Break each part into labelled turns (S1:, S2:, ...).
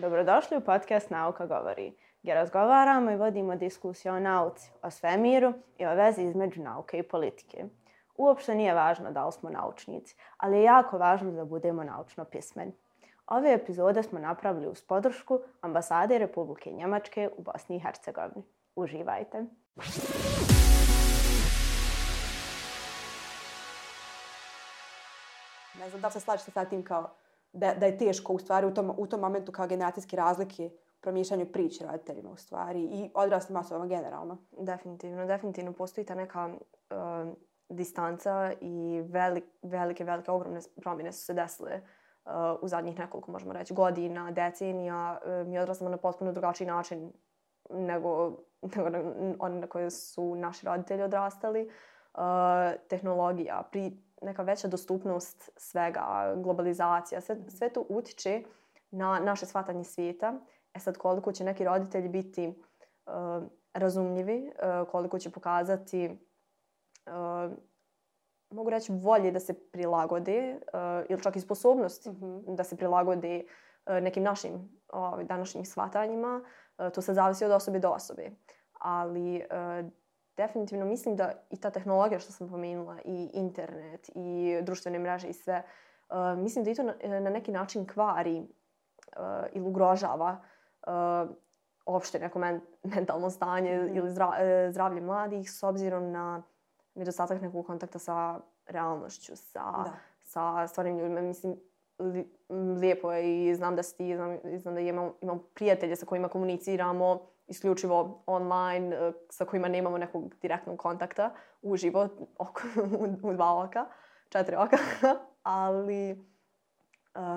S1: Dobrodošli u podcast Nauka govori, gdje razgovaramo i vodimo diskusiju o nauci, o svemiru i o vezi između nauke i politike. Uopšte nije važno da li smo naučnici, ali je jako važno da budemo naučno pismeni. Ove epizode smo napravili uz podršku Ambasade Republike Njemačke u Bosni i Hercegovini. Uživajte!
S2: Ne znam da li se slažete sa tim kao da je teško u stvari u tom momentu kao generacijske razlike u promišljanju priče roditeljima u stvari i odraslim osobama generalno.
S1: Definitivno postoji ta neka distanca i velike, ogromne promjene su se desile u zadnjih nekoliko, možemo reći, godina, decenija. Mi odrastamo na potpuno drugačiji način nego oni na koje su naši roditelji odrastali. Tehnologija, neka veća dostupnost svega, globalizacija, sve to utiče na naše shvatanje svijeta. Sad, koliko će neki roditelji biti razumljivi, koliko će pokazati, mogu reći, volje da se prilagode ili čak i sposobnosti da se prilagode nekim našim današnjim shvatanjima, to se zavisi od osobe do osobe. Ali definitivno mislim da i ta tehnologija što sam pomenula, i internet, i društvene mreže i sve, mislim da i to na neki način kvari ili ugrožava opšte neko mentalno stanje ili zdravlje mladih s obzirom na nedostatak nekog kontakta sa realnošću, sa stvarnim ljudima. Mislim, lijepo je i znam da si ti, znam da imam prijatelje sa kojima komuniciramo isključivo online, sa kojima nemamo nekog direktnog kontakta uživo u 2 oka, 4 oka, ali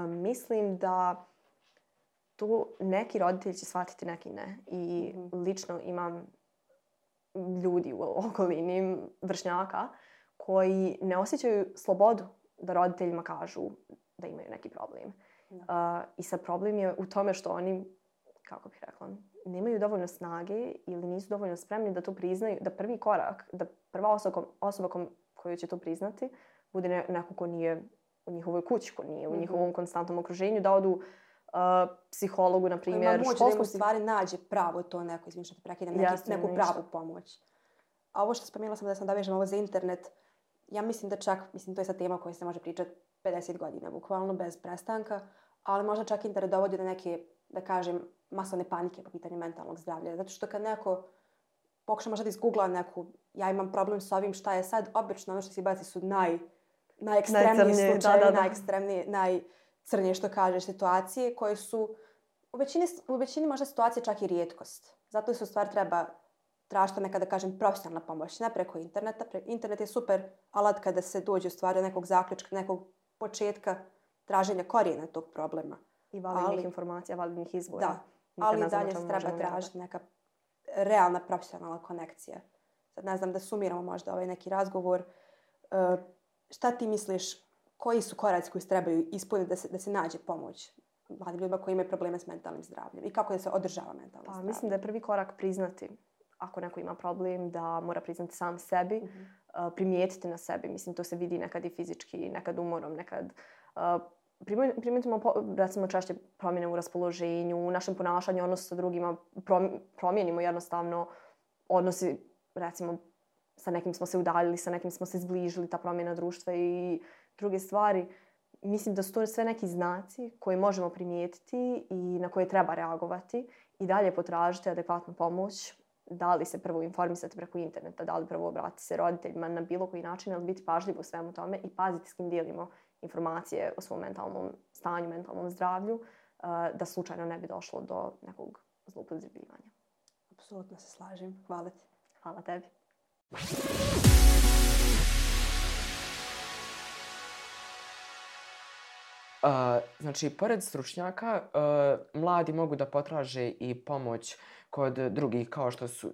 S1: mislim da tu neki roditelji će shvatiti, neki ne. I lično imam ljudi u okolini, vršnjaka, koji ne osjećaju slobodu da roditeljima kažu da imaju neki problem. I sad problem je u tome što oni, kako bih rekla, nemaju dovoljno snage ili nisu dovoljno spremni da to priznaju, da prvi korak, da prva osoba koju će to priznati bude neko ko nije u njihovoj kući, ko nije u njihovom konstantnom okruženju, da odu psihologu, na primjer.
S2: Ima moć da im u stvari nađe pravo to neko, izvinite što te prekidam, neku pravu pomoć. A ovo što spomenula sam da sam dovežem ovo za internet, ja mislim da čak, to je sad tema o kojoj se može pričati 50 godina, bukvalno, bez prestanka, ali možda čak internet dovodi do neke, da kažem, masovne panike po pitanju mentalnog zdravlja. Zato što kad neko pokuša možda da izgoogla neku, ja imam problem s ovim, šta je sad, obično ono što se baci su najekstremniji slučajevi, najekstremnije, najcrnije što kažeš situacije koje su u većini možda situacije čak i rijetkost. Zato se u stvari treba tražiti neka, da kažem, profesionalna pomoć, ne preko interneta. Internet je super alat kada se dođe u stvari do nekog zaključka, nekog početka traženja korijena tog problema.
S1: I validnih informacija, validnih izvora.
S2: Da, ali i dalje se treba tražiti neka realna profesionalna konekcija. Sad ne znam da sumiramo možda ovaj neki razgovor. Šta ti misliš, koji su koraci koji se trebaju ispuniti da se nađe pomoć mladim ljudima koji imaju probleme s mentalnim zdravljem i kako da se održava mentalno zdravlje?
S1: Mislim da je prvi korak priznati, ako neko ima problem, da mora priznati sam sebi, primijetiti na sebi. Mislim, to se vidi nekad i fizički, nekad umorom, nekad primijetimo, recimo, češće promjene u raspoloženju, u našem ponašanju, odnos sa drugima, promijenimo jednostavno odnosi, recimo, sa nekim smo se udaljili, sa nekim smo se zbližili, ta promjena društva i druge stvari. Mislim da su to sve neki znaci koje možemo primijetiti i na koje treba reagovati i dalje potražiti adekvatnu pomoć. Da li se prvo informisati preko interneta, da li prvo obratiti se roditeljima na bilo koji način, ali biti pažljivo u svemu tome i paziti s kim dijelimo informacije o svom mentalnom stanju, mentalnom zdravlju, da slučajno ne bi došlo do nekog zloupotrebljavanja.
S2: Apsolutno se slažem. Hvala ti.
S1: Hvala tebi.
S3: Znači, pored stručnjaka, mladi mogu da potraže i pomoć kod drugih, kao što su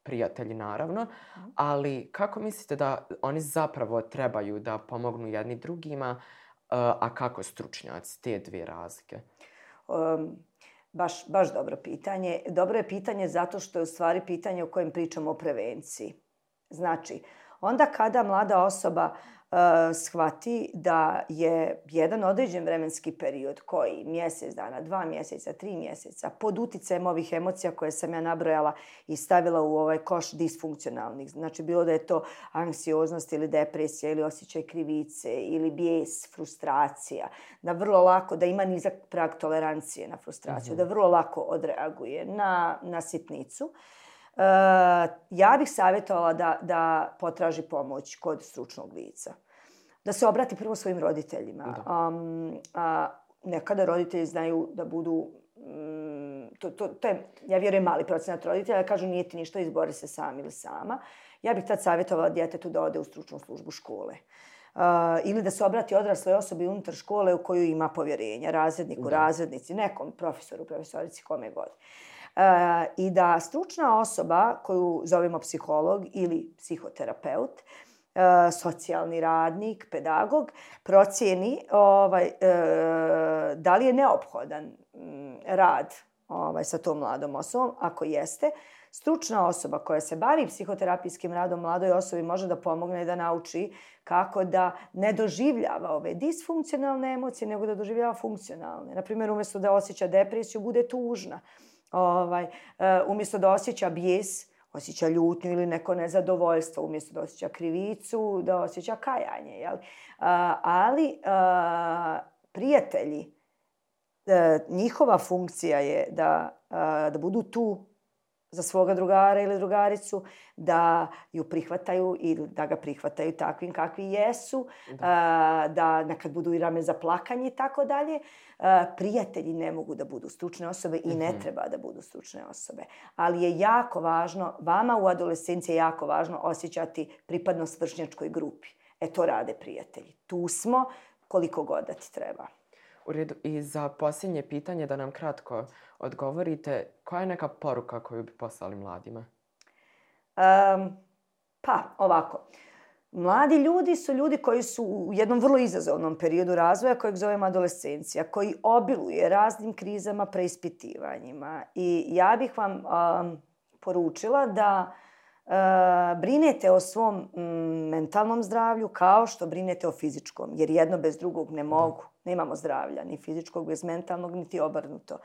S3: prijatelji, naravno, ali kako mislite da oni zapravo trebaju da pomognu jedni drugima, a kako stručnjaci, te dvije razlike?
S4: Baš dobro pitanje. Dobro je pitanje zato što je u stvari pitanje o kojem pričamo o prevenciji. Znači, Onda kada mlada osoba shvati da je jedan određen vremenski period koji mjesec dana, 2 mjeseca, 3 mjeseca pod utjecajem ovih emocija koje sam ja nabrojala i stavila u ovaj koš disfunkcionalnih. Znači bilo da je to anksioznost ili depresija ili osjećaj krivice ili bijes, frustracija. Da vrlo lako, da ima nizak prag tolerancije na frustraciju, da vrlo lako odreaguje na sitnicu. Ja bih savjetovala da potraži pomoć kod stručnog lica. Da se obrati prvo svojim roditeljima. Nekada roditelji znaju da budu... To je, ja vjerujem, mali procenat roditelja. Da kažu nije ti ništa, izbori se sam ili sama. Ja bih tad savjetovala djetetu da ode u stručnu službu škole. Ili da se obrati odrasloj osobi unutar škole u koju ima povjerenja. Razredniku, razrednici, nekom profesoru, profesorici, kome god. I da stručna osoba koju zovemo psiholog ili psihoterapeut, socijalni radnik, pedagog, procijeni da li je neophodan rad sa tom mladom osobom. Ako jeste, stručna osoba koja se bavi psihoterapijskim radom mladoj osobi može da pomogne da nauči kako da ne doživljava ove disfunkcionalne emocije, nego da doživljava funkcionalne. Naprimjer, umjesto da osjeća depresiju, bude tužna. Umjesto da osjeća bijes, osjeća ljutnju ili neko nezadovoljstvo. Umjesto da osjeća krivicu, da osjeća kajanje. Jel? Ali prijatelji, njihova funkcija je da budu tu za svoga drugara ili drugaricu, da ju prihvataju ili da ga prihvataju takvim kakvi jesu, da nekad budu i rame za plakanje i tako dalje. Prijatelji ne mogu da budu stručne osobe i ne treba da budu stručne osobe. Ali je jako važno, vama u adolescenciji je jako važno osjećati pripadnost vršnjačkoj grupi. To rade prijatelji. Tu smo koliko god da ti treba.
S3: U redu. I za posljednje pitanje da nam kratko odgovorite, koja je neka poruka koju bi poslali mladima?
S4: Ovako. Mladi ljudi su ljudi koji su u jednom vrlo izazovnom periodu razvoja kojeg zovemo adolescencija, koji obiluje raznim krizama, preispitivanjima. I ja bih vam poručila da brinete o svom mentalnom zdravlju kao što brinete o fizičkom, jer jedno bez drugog ne mogu. Nemamo zdravlja, ni fizičkog bez mentalnog, niti obrnuto.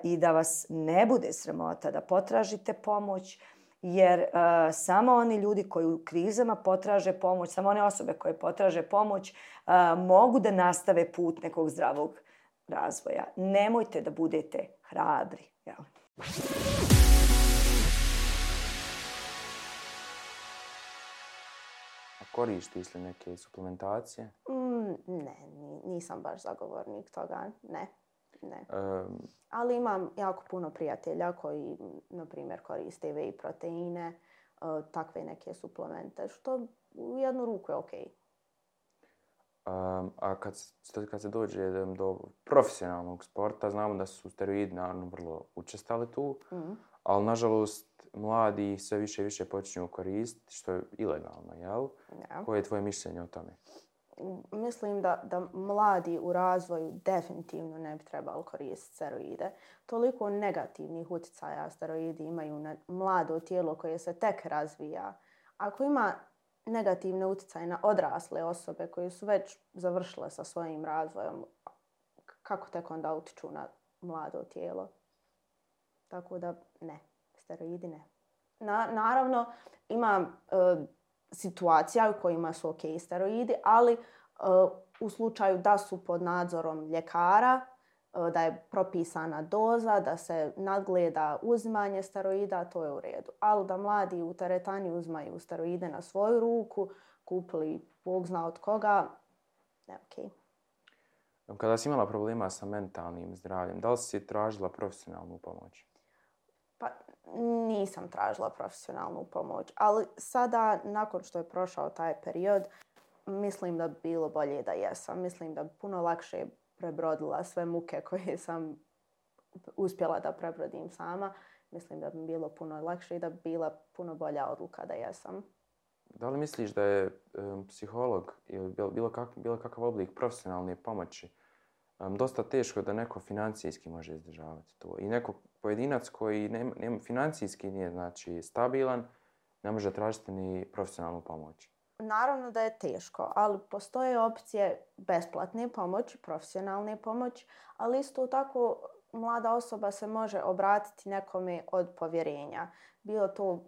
S4: I da vas ne bude sramota da potražite pomoć, jer samo oni ljudi koji u krizama potraže pomoć, samo one osobe koje potraže pomoć mogu da nastave put nekog zdravog razvoja. Nemojte da budete hrabri. Jel?
S5: Koristiš li neke suplementacije?
S1: Ne, nisam baš zagovornik toga. Ne. Ali imam jako puno prijatelja koji, na primjer, koriste whey proteine, takve neke suplemente, što u jednu ruku je okej.
S5: A kad se dođe do profesionalnog sporta, znamo da su steroidi naravno vrlo učestali tu, ali nažalost mladi sve više i više počinju koristiti, što je ilegalno, jel?
S1: Ja.
S5: Koje je tvoje mišljenje o tome?
S1: Mislim da mladi u razvoju definitivno ne bi trebali koristiti steroide. Toliko negativnih utjecaja steroidi imaju na mlado tijelo koje se tek razvija. Ako ima negativne utjecaje na odrasle osobe koje su već završile sa svojim razvojem, kako tek onda utiču na mlado tijelo? Tako da ne, steroidi ne. Naravno, ima situacija u kojima su ok steroidi, ali u slučaju da su pod nadzorom ljekara, da je propisana doza, da se nadgleda uzimanje steroida, to je u redu. Ali da mladi u teretani uzimaju steroide na svoju ruku, kupili Bog zna od koga, ne ok.
S5: Kada si imala problema sa mentalnim zdravljem, da li si tražila profesionalnu pomoć?
S1: Pa nisam tražila profesionalnu pomoć, ali sada, nakon što je prošao taj period, mislim da bi bilo bolje da jesam. Mislim da bi puno lakše prebrodila sve muke koje sam uspjela da prebrodim sama. Mislim da bi bilo puno lakše i da bi bila puno bolja odluka da jesam.
S5: Da li misliš da je psiholog ili bilo kakav oblik profesionalne pomoći dosta teško da neko financijski može izdržavati to? I neko pojedinac koji financijski nije znači stabilan, ne može tražiti ni profesionalnu pomoć?
S6: Naravno da je teško, ali postoje opcije besplatne pomoći, profesionalne pomoći, ali isto tako mlada osoba se može obratiti nekome od povjerenja. Bilo to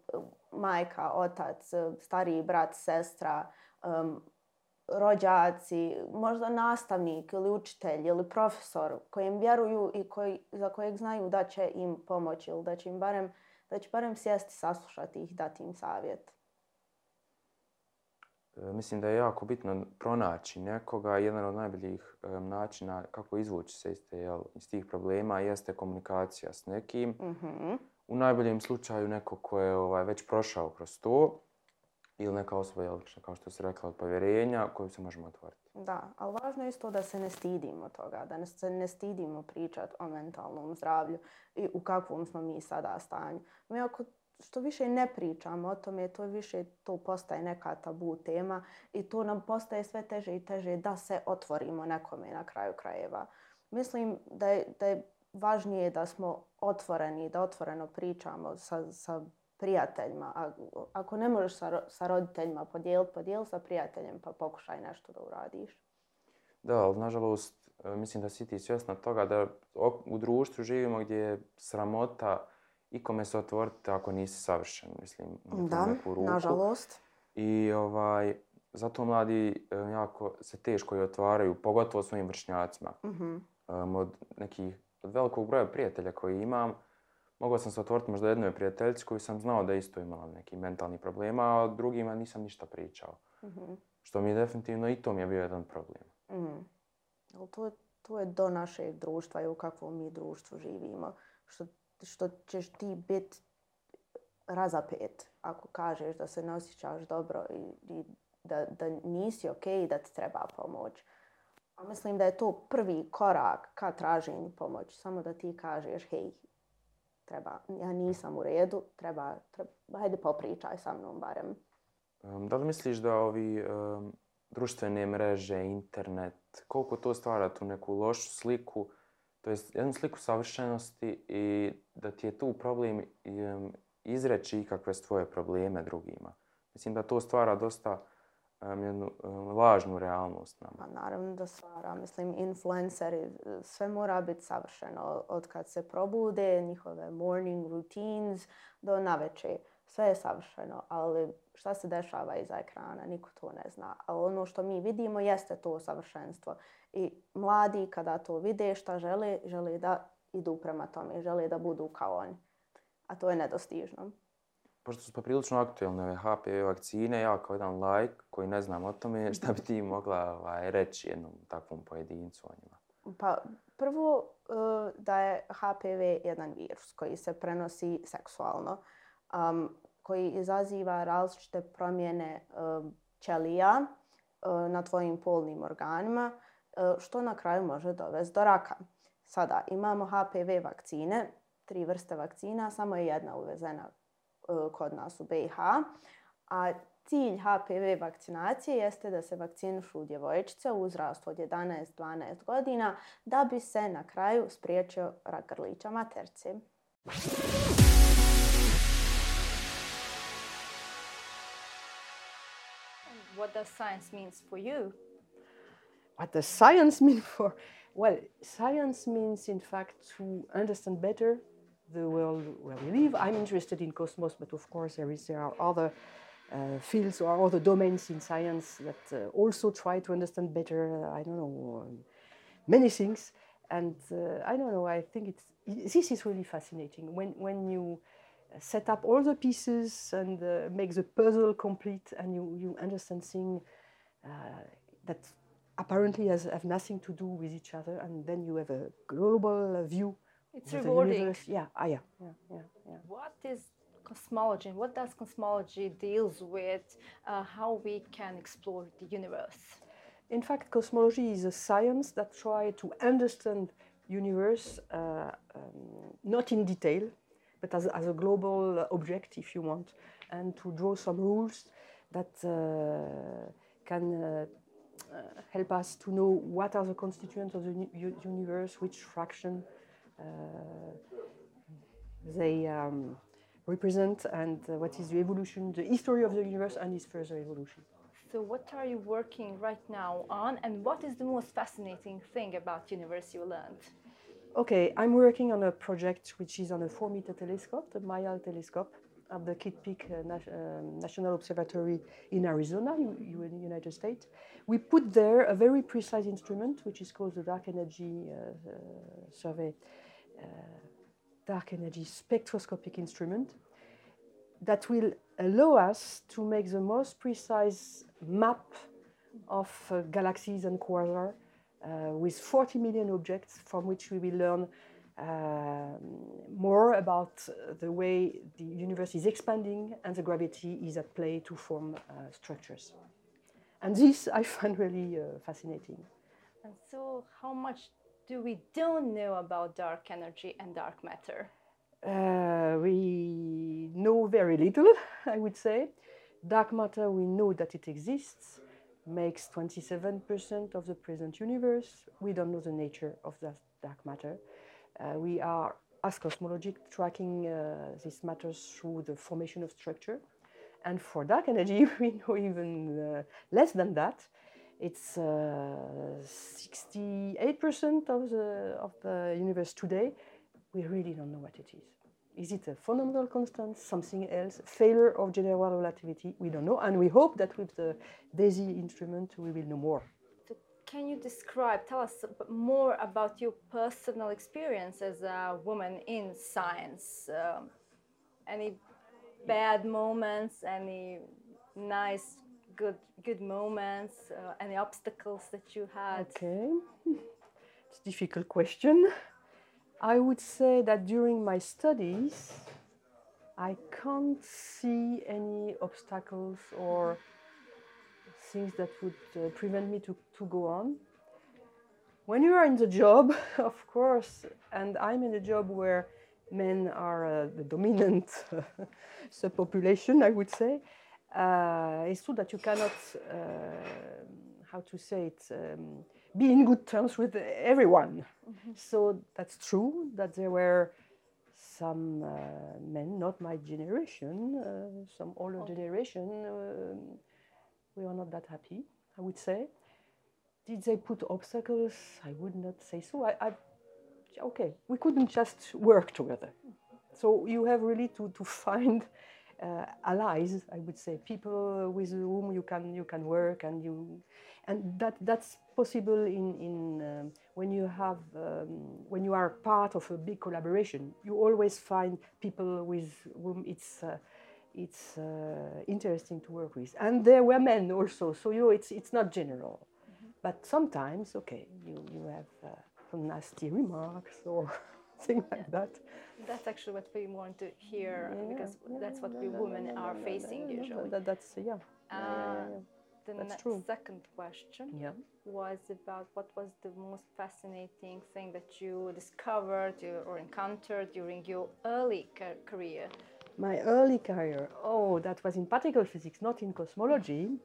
S6: majka, otac, stariji brat, sestra, rođaci, možda nastavnik ili učitelj ili profesor kojem vjeruju i za kojeg znaju da će im pomoći ili da će barem sjesti, saslušati ih, dati im savjet.
S5: Mislim da je jako bitno pronaći nekoga. Jedan od najboljih načina kako izvući se iz tih problema jeste komunikacija s nekim.
S6: Mm-hmm.
S5: U najboljem slučaju neko ko je već prošao kroz to ili neka osoba, kao što si rekla, od povjerenja koju se možemo otvoriti.
S6: Da, ali važno je isto da se ne stidimo toga, da se ne stidimo pričati o mentalnom zdravlju i u kakvom smo mi sada stanju. Mi ako što više ne pričamo o tome, to više to postaje neka tabu tema i to nam postaje sve teže i teže da se otvorimo nekome na kraju krajeva. Mislim da je važnije da smo otvoreni, da otvoreno pričamo sa prijateljima. Ako ne možeš sa roditeljima podijeli sa prijateljem, pa pokušaj nešto da uradiš.
S5: Da, ali nažalost, mislim da si ti svjesna toga da u društvu živimo gdje je sramota ikome se otvoriti ako nisi savršen, mislim.
S6: Da, nažalost.
S5: I zato mladi jako se teško i otvaraju, pogotovo svojim vršnjacima.
S6: Mm-hmm.
S5: Od velikog broja prijatelja koji imam, mogao sam se otvoriti možda jednoj prijateljici koju sam znao da isto imala neki mentalni problema, a drugima nisam ništa pričao.
S6: Mm-hmm.
S5: Što mi je definitivno i to mi je bio jedan problem.
S6: Mm. To je do našeg društva i u kakvom mi društvu živimo. Što ćeš ti biti razapet ako kažeš da se ne osjećaš dobro i da nisi okej, da ti treba pomoć. A mislim da je to prvi korak ka traženju pomoći. Samo da ti kažeš, hej, ja nisam u redu, hajde popričaj sa mnom barem.
S5: Da li misliš da ovi društvene mreže, internet, koliko to stvara tu neku lošu sliku, to jest jednu sliku savršenosti i da ti je tu problem izreći ikakve svoje probleme drugima? Mislim da to stvara dosta jednu lažnu realnost nama.
S6: Pa naravno da stvara. Mislim, influenceri, sve mora biti savršeno. Od kad se probude, njihove morning routines do navečer. Sve je savršeno, ali šta se dešava iza ekrana, niko to ne zna. Ali ono što mi vidimo jeste to savršenstvo. I mladi kada to vide šta žele da idu prema tome, žele da budu kao oni. A to je nedostižno.
S5: Pošto su poprilično aktualne ove HPV vakcine, ja kao jedan laik koji ne znam o tome, šta bi ti mogla reći jednom takvom pojedincu o njima?
S6: Pa prvo da je HPV jedan virus koji se prenosi seksualno, koji izaziva različite promjene ćelija na tvojim polnim organima, što na kraju može dovesti do raka. Sada imamo HPV vakcine, 3 vrste vakcina, samo je jedna uvezena kod nas u BiH. A cilj HPV vakcinacije jeste da se vakcinišu djevojčice u uzrastu od 11-12 godina da bi se na kraju spriječio rak grlića maternice.
S7: What does science means for you?
S8: What does science mean for? Well, science means, in fact, to understand better the world where we live. I'm interested in cosmos, but of course there are other fields or other domains in science that also try to understand better, many things. And I think this is really fascinating. When you set up all the pieces and make the puzzle complete and you understand things that apparently have nothing to do with each other, and then you have a global view.
S7: It's rewarding.
S8: Yeah.
S7: What is cosmology? What does cosmology deals with? How we can explore the universe?
S8: In fact, cosmology is a science that tries to understand universe, not in detail, but as a global object, if you want, and to draw some rules that can help us to know what are the constituents of the universe, which fraction they represent and what is the evolution, the history of the universe and its further evolution.
S7: So what are you working right now on, and what is the most fascinating thing about universe you learned?
S8: Okay, I'm working on a project which is on a 4-meter telescope, the Mayal telescope, at the Kitt Peak National Observatory in Arizona, in the United States. We put there a very precise instrument, which is called the Dark Energy Survey, Dark Energy Spectroscopic Instrument, that will allow us to make the most precise map of galaxies and quasars with 40 million objects, from which we will learn more about the way the universe is expanding and the gravity is at play to form structures. And this I find really fascinating.
S7: And so how much do we don't know about dark energy and dark matter?
S8: We know very little, I would say. Dark matter, we know that it exists, makes 27% of the present universe. We don't know the nature of that dark matter. We are, as cosmology, tracking these matters through the formation of structure. And for dark energy, we know even less than that. It's 68% of the universe today. We really don't know what it is. Is it a fundamental constant, something else, failure of general relativity? We don't know, and we hope that with the DESI instrument we will know more.
S7: So can you tell us more about your personal experience as a woman in science? Any bad moments, any nice, good moments, any obstacles that you had?
S8: Okay, it's a difficult question. I would say that during my studies, I can't see any obstacles or things that would prevent me to go on. When you are in the job, of course, and I'm in a job where men are the dominant subpopulation, I would say, it's true that you cannot, be in good terms with everyone. Mm-hmm. So that's true that there were some men, not my generation, some older generation, we were not that happy, I would say. Did they put obstacles? I would not say so. Okay, we couldn't just work together. So you have really to find allies, I would say, people with whom you can work, and that's possible in when you are part of a big collaboration. You always find people with whom it's interesting to work with, and there were men also. So it's not general, but sometimes you have some nasty remarks or things like that.
S7: That's actually what we want to hear, because that's what we women are facing usually.
S8: That's true.
S7: Second question was about what was the most fascinating thing that you discovered or encountered during your early career?
S8: My early career? Oh, that was in particle physics, not in cosmology.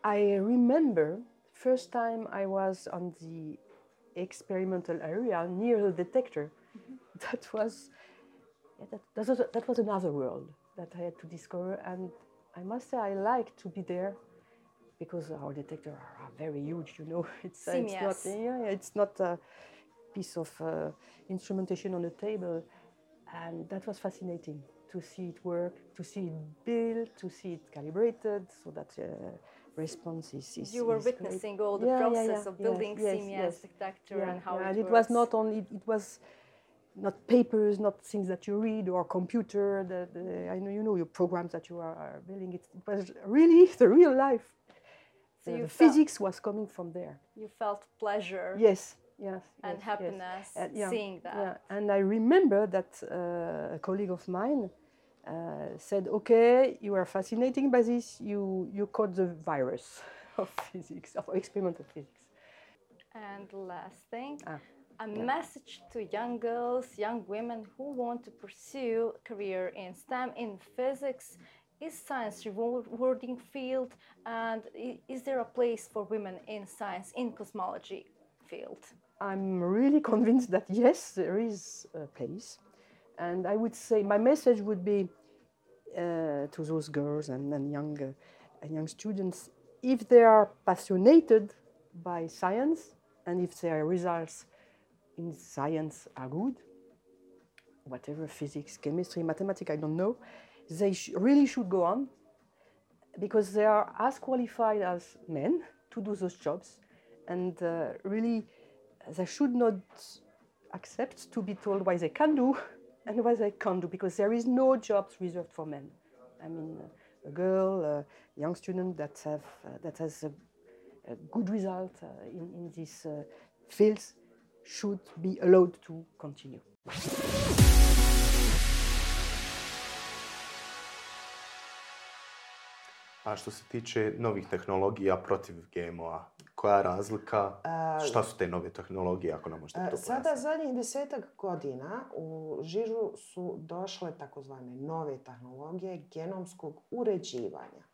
S8: I remember first time I was on the experimental area near the detector. Mm-hmm. That was another world that I had to discover, and I must say I like to be there because our detectors are very huge. It's not a piece of instrumentation on a table, and that was fascinating to see it work, to see it built, to see it calibrated, so that response is
S7: you were witnessing great. All the process of building CMS detector and how it
S8: works. Was not only, it was not papers, not things that you read or computer, I know your programs that you are building. It was really the real life. So the physics was coming from there.
S7: You felt pleasure.
S8: Yes.
S7: And happiness seeing that.
S8: Yeah. And I remember that a colleague of mine said, okay, you are fascinated by this, you caught the virus of physics, of experimental physics.
S7: And last thing, message to young girls, young women who want to pursue a career in STEM, in physics. Is science a rewarding field, and is there a place for women in science, in cosmology field?
S8: I'm really convinced that yes, there is a place. And I would say my message would be to those girls and young students, if they are passionated by science and if their results in science are good, whatever, physics, chemistry, mathematics, I don't know, they really should go on because they are as qualified as men to do those jobs. And really, they should not accept to be told what they can do and what they can't do, because there is no jobs reserved for men. I mean, a girl, a young student that has a good result in these fields should be allowed to continue.
S9: A što se tiče novih tehnologija protiv GMO-a, koja je razlika? Šta su te nove tehnologije, ako nam možete to pojasniti?
S10: Sada zadnjih 10 godina u žižu su došle takozvane nove tehnologije genomskog uređivanja.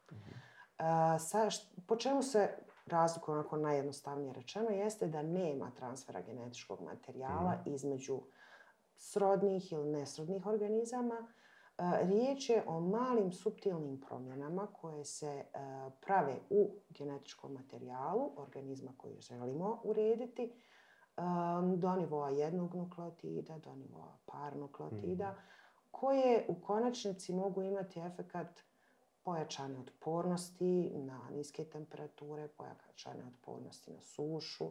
S10: Po čemu se razlikuje, onako najjednostavnije rečeno, jeste da nema transfera genetičkog materijala između srodnih ili nesrodnih organizama. Riječ je o malim suptilnim promjenama koje se prave u genetičkom materijalu organizma koji želimo urediti do nivoa jednog nukleotida, do nivoa par nukleotida, koje u konačnici mogu imati efekat pojačane otpornosti na niske temperature, pojačane otpornosti na sušu,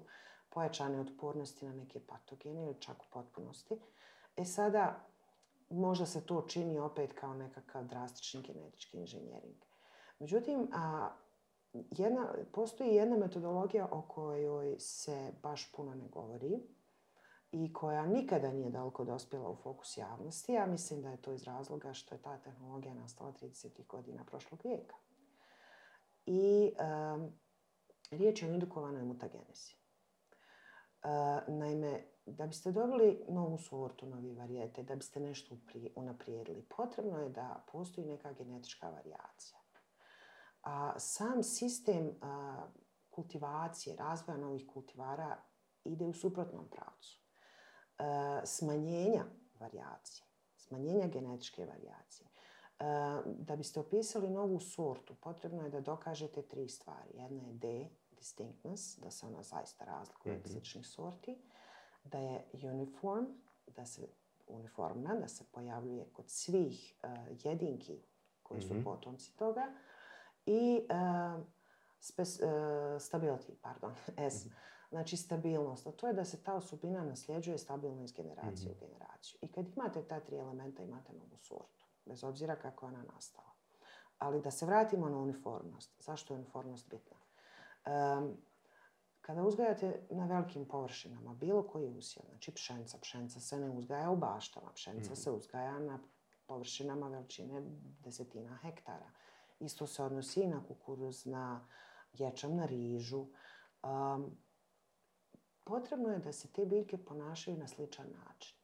S10: pojačane otpornosti na neke patogene ili čak u potpunosti. Sada, možda se to čini opet kao nekakav drastični genetički inženjering. Međutim, postoji jedna metodologija o kojoj se baš puno ne govori i koja nikada nije daleko dospjela u fokus javnosti. Ja mislim da je to iz razloga što je ta tehnologija nastala 30. godina prošlog vijeka. I riječ je o indukovanoj mutagenezi. Naime, da biste dobili novu sortu, novi varijete, da biste nešto unaprijedili, potrebno je da postoji neka genetička varijacija. A sam sistem kultivacije, razvoja novih kultivara ide u suprotnom pravcu. Smanjenja varijacije, smanjenja genetičke varijacije. Da biste opisali novu sortu, potrebno je da dokažete 3 stvari. Jedna je D, distinctness, da se ona zaista razlikuje od sličnih sorti, da je uniform, uniformna, da se pojavljuje kod svih jedinki koji su potomci toga, i stability, S. Znači stabilnost, a to je da se ta osobina nasljeđuje stabilno iz generacije u generaciju. I kad imate ta 3 elementa, imate novu sortu, bez obzira kako je ona nastala. Ali da se vratimo na uniformnost. Zašto je uniformnost bitna? Kada uzgajate na velikim površinama bilo koji usjev, znači pšenica se ne uzgaja u baštama, pšenica se uzgaja na površinama veličine desetina hektara. Isto se odnosi i na kukuruz, na ječam, na rižu. Potrebno je da se te biljke ponašaju na sličan način.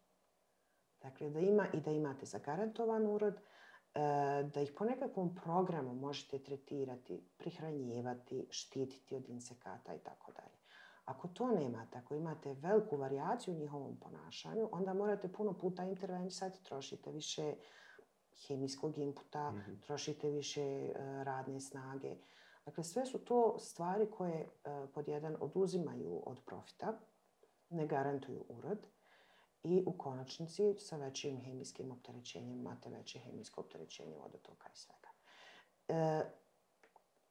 S10: Dakle, da imate zagarantovan urod, da ih po nekakvom programu možete tretirati, prihranjivati, štititi od insekata i tako dalje. Ako to nemate, ako imate veliku varijaciju u njihovom ponašanju, onda morate puno puta intervenisati, trošite više hemijskog inputa, trošite više radne snage. Dakle, sve su to stvari koje pod jedan oduzimaju od profita, ne garantuju urod i u konačnici sa većim hemijskim opterećenjem imate veće hemijsko opterećenje vodotoka i svega.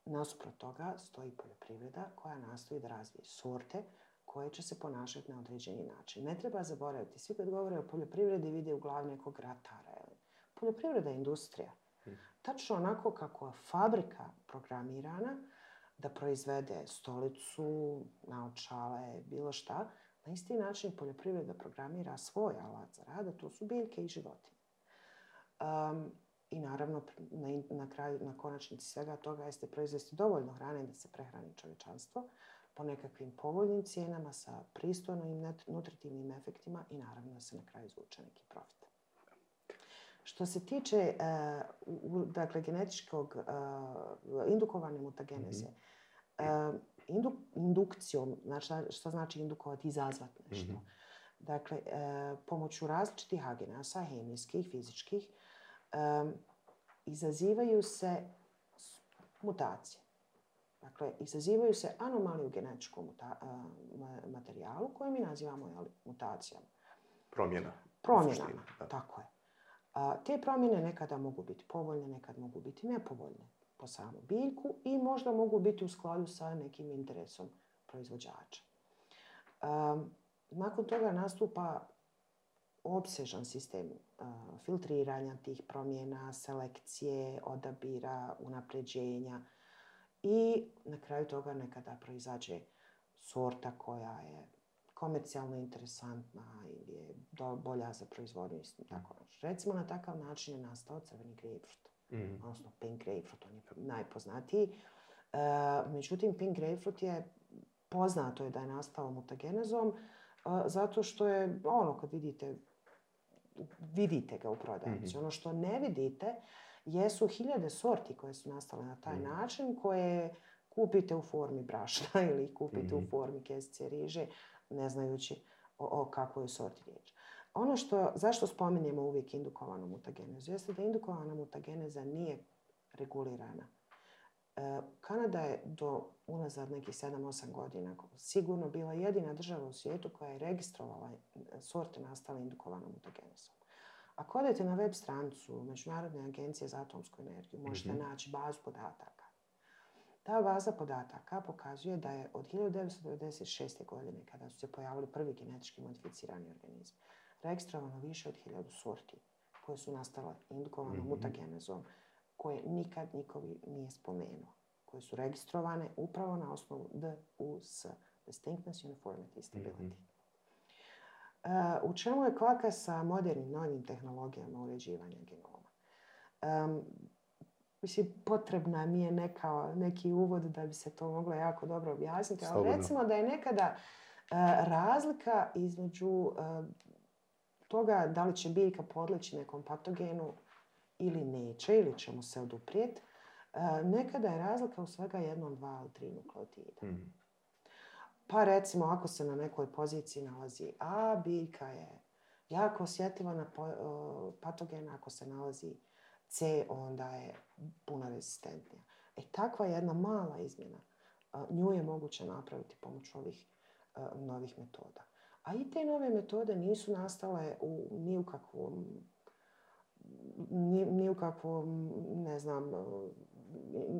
S10: Nasuprot toga stoji poljoprivreda koja nastoji da razvije sorte koje će se ponašati na određeni način. Ne treba zaboraviti, svi kad govore o poljoprivredi vide u glavi nekog ratara. Poljoprivreda je industrija. Tačno onako kako je fabrika programirana da proizvede stolicu, naočale, bilo šta, na isti način poljoprivreda programira svoj alat za rad, a to su biljke i životinje. I naravno, na konačnici svega toga jeste proizvesti dovoljno hrane da se prehrani čovječanstvo po nekakvim povoljnim cijenama sa pristojnim nutritivnim efektima i naravno da se na kraju izvuče neki profit. Što se tiče genetičkog indukovane mutageneze, indukcijom, što znači indukovati, izazvati nešto. Dakle, pomoću različitih agenasa, hemijskih, fizičkih, izazivaju se mutacije. Dakle, izazivaju se anomalije u genetičkom materijalu koje mi nazivamo mutacijama. Promjenama, tako je. Te promjene nekada mogu biti povoljne, nekad mogu biti nepovoljne po samu biljku i možda mogu biti u skladu sa nekim interesom proizvođača. Nakon toga nastupa opsežan sistem filtriranja tih promjena, selekcije, odabira, unapređenja i na kraju toga nekada proizađe sorta koja je komercijalno interesantna ili je bolja za proizvodnju. Tako. Recimo, na takav način je nastao crveni grapefruit, odnosno pink grapefruit, on je najpoznatiji. Međutim, pink grapefruit je poznato je da je nastao mutagenezom zato što je, kad vidite ga u prodavnici. Ono što ne vidite jesu hiljade sorti koje su nastale na taj način, koje kupite u formi brašna ili kupite u formi kesice riže, ne znajući o kakvoj sorti riječ. Ono zašto spominjemo uvijek indukovanu mutagenezu, jeste da indukovana mutageneza nije regulirana. Kanada je do unazad nekih 7-8 godina sigurno bila jedina država u svijetu koja je registrovala sorte nastale indukovanom mutagenezom. Ako odete na web stranicu Međunarodne agencije za atomsku energiju, možete naći bazu podataka. Ta baza podataka pokazuje da je od 1996. godine, kada su se pojavili prvi genetički modificirani organizmi, registrovano više od 1000 sorti koje su nastale indukovanom mutagenezom, koje nikad niko nije spomenuo, koje su registrovane upravo na osnovu DUS, Distinctness, Uniformity, Stability. U čemu je kvaka sa modernim novim tehnologijama uređivanja genoma? Potrebna mi je neki uvod da bi se to moglo jako dobro objasniti, ali recimo da je nekada razlika između toga da li će biljka podleći nekom patogenu ili neće, ili će mu se oduprijeti, nekada je razlika u svega 1, 2 ili 3 nukleotida. Pa recimo, ako se na nekoj poziciji nalazi A, biljka je jako osjetljiva na patogen, ako se nalazi C, onda je puno rezistentnija. Takva jedna mala izmjena, nju je moguće napraviti pomoću ovih novih metoda. A i te nove metode nisu nastale ni u kakvom, ne znam,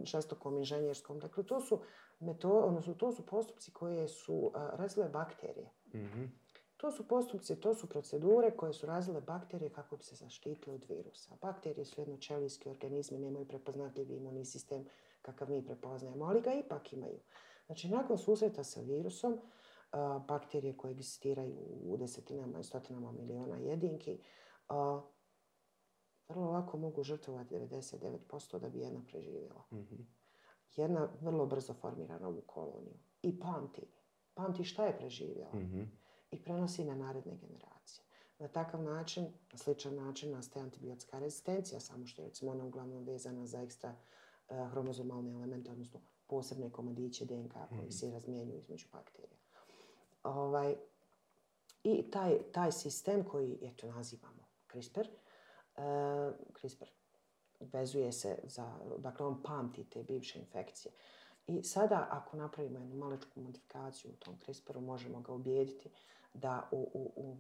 S10: žestokom inženjerskom. Dakle, to su postupci koje su razvile bakterije. To su postupci, to su procedure koje su razvile bakterije kako bi se zaštitile od virusa. Bakterije su jednoćelijski organizmi, nemaju prepoznatljivi imunni sistem kakav mi prepoznajemo, ali ga ipak imaju. Znači, nakon susreta sa virusom, bakterije koje egzistiraju u desetinama i stotinama miliona jedinki, vrlo lako mogu žrtvovati 99% da bi jedna preživjela. Jedna vrlo brzo formira novu koloniju i pamti šta je preživjela i prenosi na naredne generacije. Na takav način, na sličan način, nastaje antibiotska rezistencija, samo što je recimo ona uglavnom vezana za ekstra hromozomalne elemente, odnosno posebne komadiće DNK koji se razmjenjuju između bakterija. I taj sistem koji, nazivamo CRISPR, vezuje se dakle on pamti te bivše infekcije. I sada ako napravimo jednu malečku modifikaciju u tom CRISPR-u, možemo ga ubijediti da u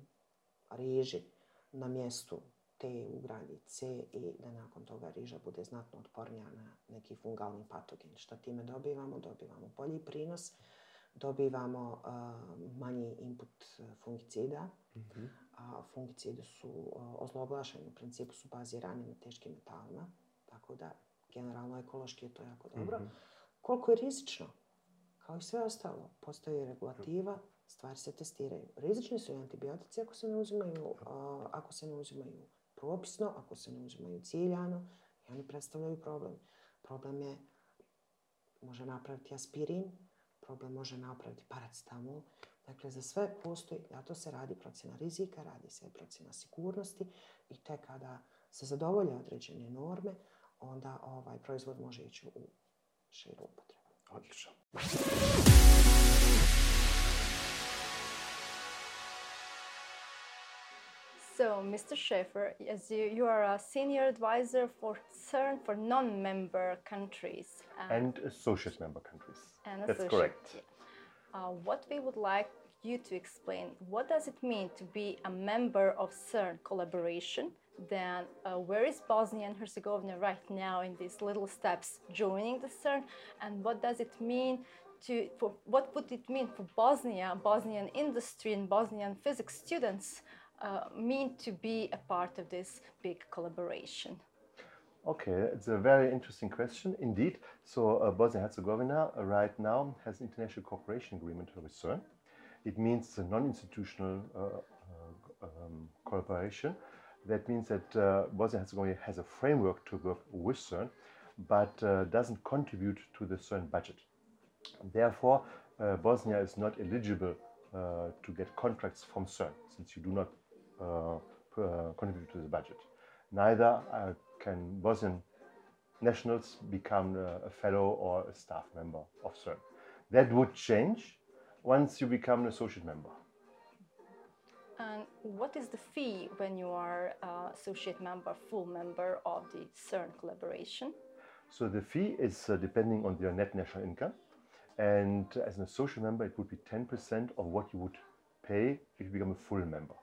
S10: riži na mjestu T ugradi C i da nakon toga riža bude znatno otpornija na neki fungalni patogen. Što time dobivamo? Dobivamo bolji prinos, dobivamo manji input fungicida. A fungicidi su ozloglašeni, u principu su bazirani na teškim metalima, tako da generalno ekološki je to jako dobro. Koliko je rizično? Kao i sve ostalo, postoji regulativa, stvari se testiraju. Rizični su i antibiotici ako se ne uzimaju propisno, ako se ne uzimaju ciljano i oni predstavljaju problem. Problem može napraviti aspirin, problem može napraviti paracetamol. Dakle, za sve postoji, zato se radi procjena rizika, radi se procjena sigurnosti i tek kada se zadovolje određene norme, onda proizvod može ići u širu upotrebu.
S9: Odlično.
S7: So, Mr. Schaefer, as you are a senior advisor for CERN for non-member countries.
S11: And associate member countries. That's
S7: associate.
S11: Correct.
S7: What we would like you to explain, what does it mean to be a member of CERN collaboration? Then where is Bosnia and Herzegovina right now in these little steps joining the CERN? And what does it mean what would it mean for Bosnia, Bosnian industry and Bosnian physics students mean to be a part of this big collaboration?
S11: Okay, it's a very interesting question indeed. So Bosnia-Herzegovina right now has an international cooperation agreement with CERN. It means a non-institutional cooperation. That means that Bosnia-Herzegovina has a framework to work with CERN, but doesn't contribute to the CERN budget. Therefore, Bosnia is not eligible to get contracts from CERN, since you do not contribute to the budget. Neither can Bosnian nationals become a fellow or a staff member of CERN. That would change once you become an associate member.
S7: And what is the fee when you are associate member, full member of the CERN collaboration?
S11: So the fee is depending on your net national income. And as an associate member, it would be 10% of what you would pay if you become a full member.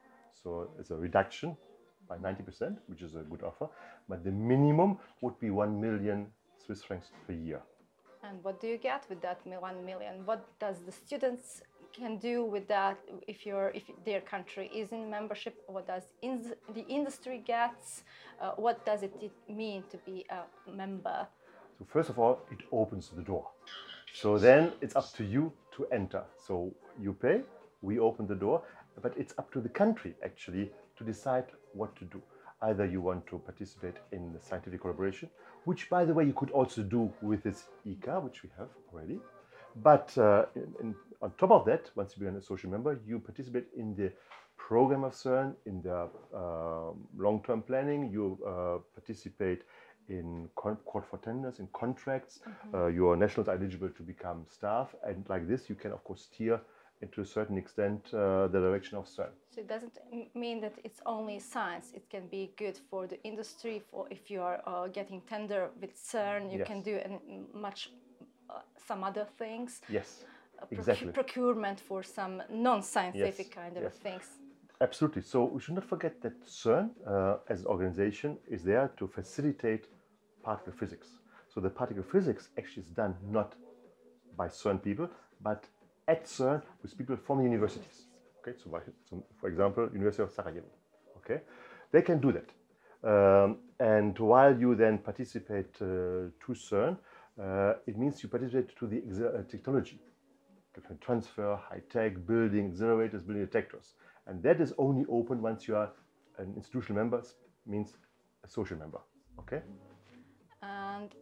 S11: So it's a reduction by 90%, which is a good offer. But the minimum would be 1 million Swiss francs per year.
S7: And what do you get with that 1 million? What does the students can do with that if their country is in membership? What does the industry gets? What does it mean to be a member?
S11: So first of all, it opens the door. So then it's up to you to enter. So you pay, we open the door, but it's up to the country actually to decide what to do. Either you want to participate in the scientific collaboration, which by the way you could also do with this ICA, which we have already. But on top of that, once you become an associate member, you participate in the program of CERN, in the long-term planning, you participate in court for tenders, in contracts. Your nationals are eligible to become staff, and like this you can of course steer to a certain extent the direction of CERN.
S7: So it doesn't mean that it's only science. It can be good for the industry. For if you are getting tender with CERN, you can do some other things.
S11: Yes, exactly.
S7: Procurement for some non-scientific kind of things.
S11: Absolutely. So we should not forget that CERN, as an organization, is there to facilitate particle physics. So the particle physics actually is done not by CERN people, but at CERN with people from the universities. Okay, so for example, University of Sarajevo. Okay, they can do that. And while you then participate to CERN, it means you participate to the technology. You can transfer, high-tech, building accelerators, building detectors. And that is only open once you are an institutional member, means a social member. Okay?
S7: And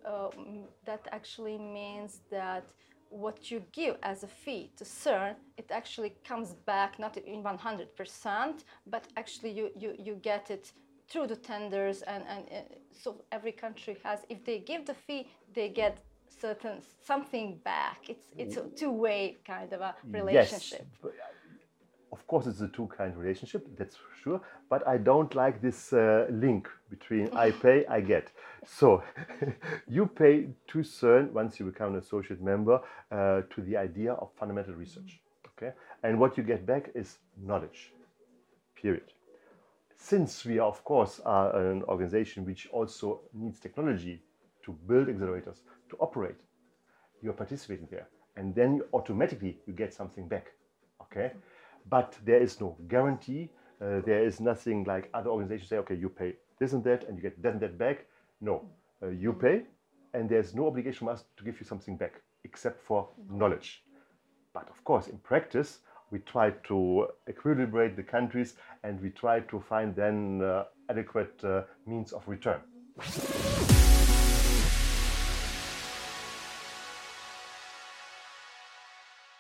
S7: that actually means that what you give as a fee to CERN, it actually comes back not in 100%, but actually you get it through the tenders, and so every country has, if they give the fee, they get something back. It's a two-way kind of a relationship.
S11: Yes. Of course, it's a two-kind relationship, that's for sure. But I don't like this link between I pay, I get. So you pay to CERN once you become an associate member to the idea of fundamental research. Okay, and what you get back is knowledge. Period. Since we, of course, are an organization which also needs technology to build accelerators, to operate, you're participating there, and then automatically you get something back. Okay. But there is no guarantee. There is nothing like other organizations say, okay, you pay this and that and you get that and that back. No, you pay and there's no obligation from us to give you something back except for knowledge. But of course, in practice, we try to equilibrate the countries and we try to find then adequate means of return.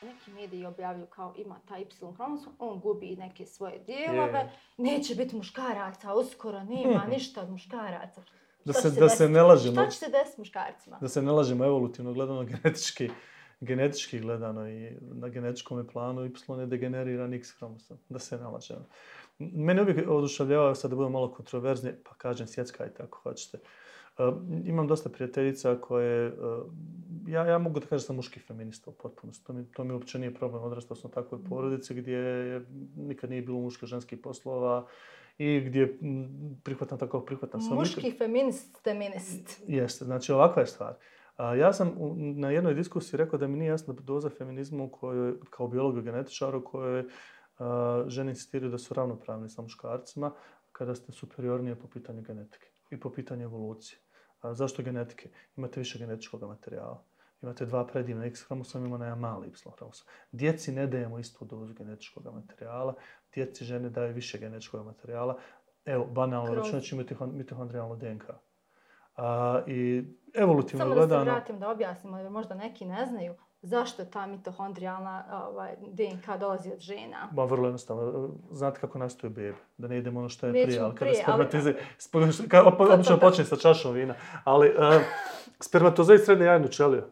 S7: Neki mediji objavljuju kao ima taj Y hromosom, on gubi neke svoje dijelove, neće biti muškaraca, uskoro nema ništa od muškaraca.
S12: Da se ne lažemo.
S7: Šta će se desiti muškarcima?
S12: Da se ne lažemo evolutivno gledano, genetički gledano i na genetičkom planu Y je degeneriran X hromosom, da se ne lažemo. Mene uvijek oduševljavao, sad da budem malo kontroverzni, pa kažem svjetska i tako hoćete. Imam dosta prijateljica koje... Ja mogu da kažem da sam muški feminista u potpunosti. To mi uopće nije problem. Odrastao sam u takvoj porodici gdje nikad nije bilo muško-ženskih poslova i gdje prihvatam tako prihvatam.
S7: Muški feminist.
S12: Jeste, znači ovakva je stvar. Ja sam na jednoj diskusiji rekao da mi nije jasna doza feminizma u kojoj, kao biologu i genetičaru, u kojoj žene insistiraju da su ravnopravni sa muškarcima kada ste superiornije po pitanju genetike i po pitanju evolucije. Zašto genetike? Imate više genetičkog materijala. Imate 2 predivna X hromosoma, ima jedan mali Y hromosom. Djeci ne dajemo istu dozu genetičkog materijala, djeci žene daju više genetičkog materijala. Evo, banalno računajući mitohondrijalnu DNK. I evolutivno gledano...
S7: Samo da se vratim da objasnimo, jer možda neki ne znaju zašto ta mitohondrijalna DNK dolazi od žena.
S12: Vrlo jednostavno. Znate kako nastaju bebe? Da ne idemo ono što je prije, ali
S7: kada
S12: obično počne sa čašom vina. Ali spermatozoid srednje jajnu ćeliju.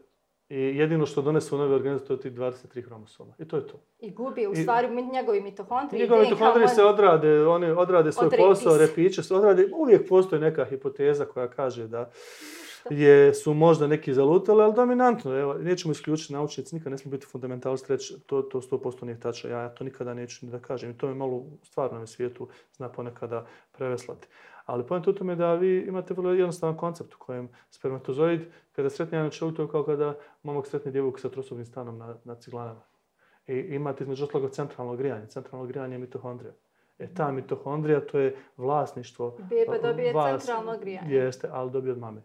S12: I jedino što donesu u novi organizam to je tih 23 hromosoma. I to je to.
S7: I gubi u stvari njegovi mitohondriji.
S12: Njegovi mitohondriji se odrade, oni odrade svoj posao, repiće se odrade. Uvijek postoji neka hipoteza koja kaže da su možda neki zalutali, ali dominantno. Evo, nećemo isključiti, naučnici nikad ne smo biti fundamentalisti reći to 100% nije tačno. Ja to nikada neću ni da kažem. I to me malo u stvarnom svijetu zna ponekada preveslati. Ali poenta u tome da vi imate vrlo jednostavan koncept u kojem spermatozoid, kada sretne jajnu ćeliju, to je kao kada momak sretne djevojku sa trosobnim stanom na ciglanama. I imate između ostalog centralno grijanje. Centralno grijanje je mitohondrija. Ta mitohondrija, to je vlasništvo.
S7: Beba dobije centralno grijanje.
S12: Jeste, ali dobije od mame.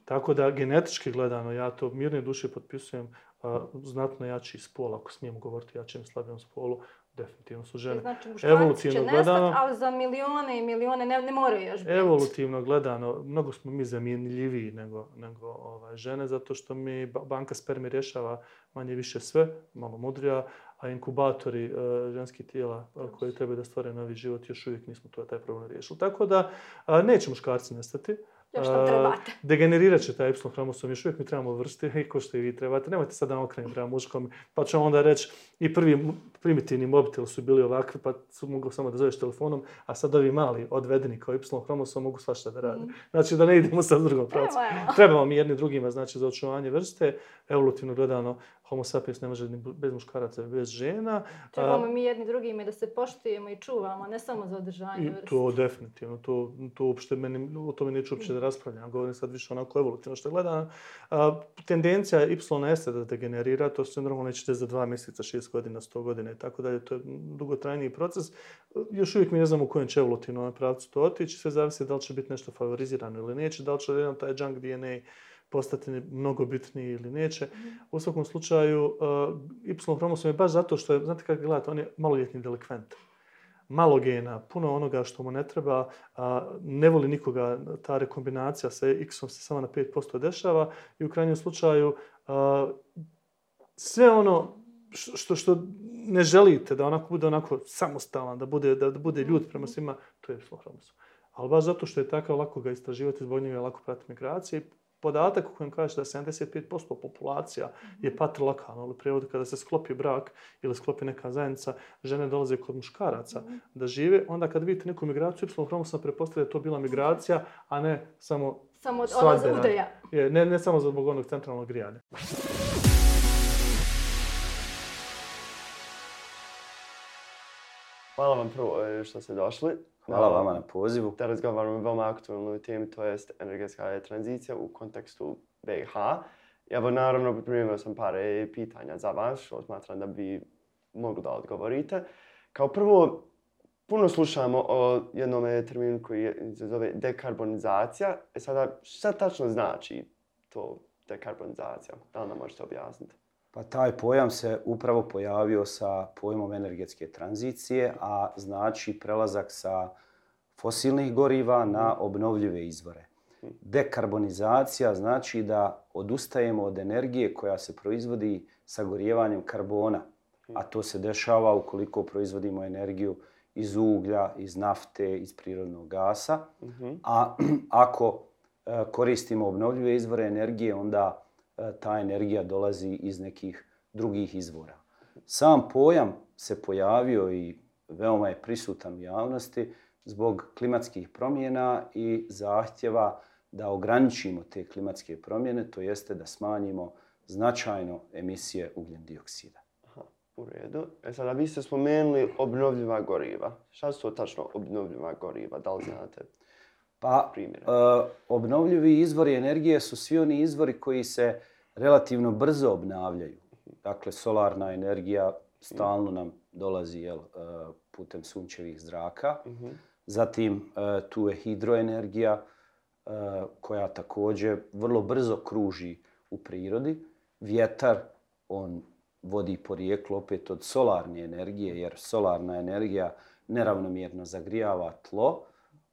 S12: Tako da genetički gledano, ja to mirne duše potpisujem, znatno jači spol, ako smijem govoriti jačem slabijem spolu, definitivno su žene.
S7: Znači muškarci će nestati, ali za milijone i milijone ne moraju još biti.
S12: Evolutivno gledano, mnogo smo mi zamjenljiviji nego žene, zato što mi banka spermi rješava manje više sve, malo mudrija, a inkubatori ženskih tijela koji trebaju da stvore novi život, još uvijek nismo taj problem riješili. Tako da neće muškarci nestati.
S7: Još što trebate.
S12: Degenerirat će taj Y hromosom, još uvijek mi trebamo vrsti, ko što i vi trebate. Nemojte sad da okrenim prema muškom, pa ću onda reći i prvi primitivni mobiteli su bili ovakvi, pa su mogli samo da zoveš telefonom, a sad ovi mali odvedeni kao Y hromosom mogu svašta da rade. Znači da ne idemo sad u drugom pravcu. Trebamo mi jedni drugima, znači za očuvanje vrste, evolutivno gledano, Homo sapiens ne može ni bez muškaraca, bez žena.
S7: Trebamo mi jedni drugima da se poštujemo i čuvamo, ne samo za održanje vrste.
S12: To definitivno, to uopšte o tome neću uopće da raspravljam. Govorim sad više onako evolutivno što gledam. Tendencija YS da degenerira, to se normalno neće za 2 mjeseca, 6 godina, 100 godina i tako dalje. To je dugotrajniji proces. Još uvijek mi ne znamo u kojem će evolutivnom pravcu to otići. Sve zavisi da li će biti nešto favorizirano ili neće, da li će jedan taj junk DNA postati mnogo bitniji ili neće. U svakom slučaju, Y hromosom je baš zato što je, znate kako gledate, on je maloljetni delikvent. Malo gena, puno onoga što mu ne treba, ne voli nikoga, ta rekombinacija sa X-om se samo na 5% dešava i u krajnjem slučaju sve ono što ne želite da bude onako samostalan, da bude ljud prema svima, to je Y hromosom. Ali baš zato što je takav, lako ga istraživati, zbog njega je lako pratiti migracije. Podatak u kojem kaže da 75% populacija je patrilokalna, ali u prijevodu kada se sklopi brak ili sklopi neka zajednica, žene dolaze kod muškaraca da žive. Onda kad vidite neku migraciju, Y hromosom pretpostavlja da je to bila migracija, a ne samo
S7: odlaz udaja.
S12: Ne samo zbog onog centralnog grijanja.
S13: Hvala vam prvo što ste došli.
S14: Hvala vama na pozivu.
S13: Da razgovaramo o veoma aktualnoj temi, to jest energetska tranzicija u kontekstu BiH. Evo, naravno, pripremio sam par pitanja za vas, što smatram da bi mogli da odgovorite. Kao prvo, puno slušamo o jednom terminu koji se zove dekarbonizacija. Sada, šta tačno znači to dekarbonizacija? Da li nam možete objasniti?
S14: Pa taj pojam se upravo pojavio sa pojmom energetske tranzicije, a znači prelazak sa fosilnih goriva na obnovljive izvore. Dekarbonizacija znači da odustajemo od energije koja se proizvodi sagorijevanjem karbona, a to se dešava ukoliko proizvodimo energiju iz uglja, iz nafte, iz prirodnog gasa. A ako koristimo obnovljive izvore energije, onda ta energija dolazi iz nekih drugih izvora. Sam pojam se pojavio i veoma je prisutan u javnosti zbog klimatskih promjena i zahtjeva da ograničimo te klimatske promjene, to jeste da smanjimo značajno emisije ugljen dioksida.
S13: U redu. Sada vi ste spomenuli obnovljiva goriva. Šta su to tačno obnovljiva goriva? Da li znate primjere?
S14: Obnovljivi izvori energije su svi oni izvori koji se relativno brzo obnavljaju. Dakle, solarna energija stalno nam dolazi putem sunčevih zraka. Zatim tu je hidroenergija koja također vrlo brzo kruži u prirodi. Vjetar, on vodi porijeklo opet od solarne energije, jer solarna energija neravnomjerno zagrijava tlo,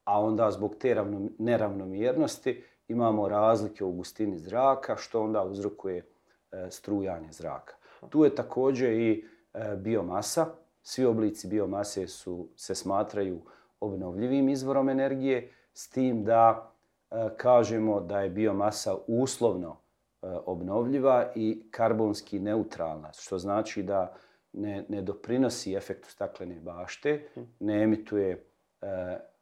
S14: a onda zbog te neravnomjernosti imamo razlike u gustini zraka, što onda uzrokuje strujanje zraka. Tu je također i biomasa. Svi oblici biomase se smatraju obnovljivim izvorom energije, s tim da kažemo da je biomasa uslovno obnovljiva i karbonski neutralna, što znači da ne doprinosi efektu staklene bašte, ne emituje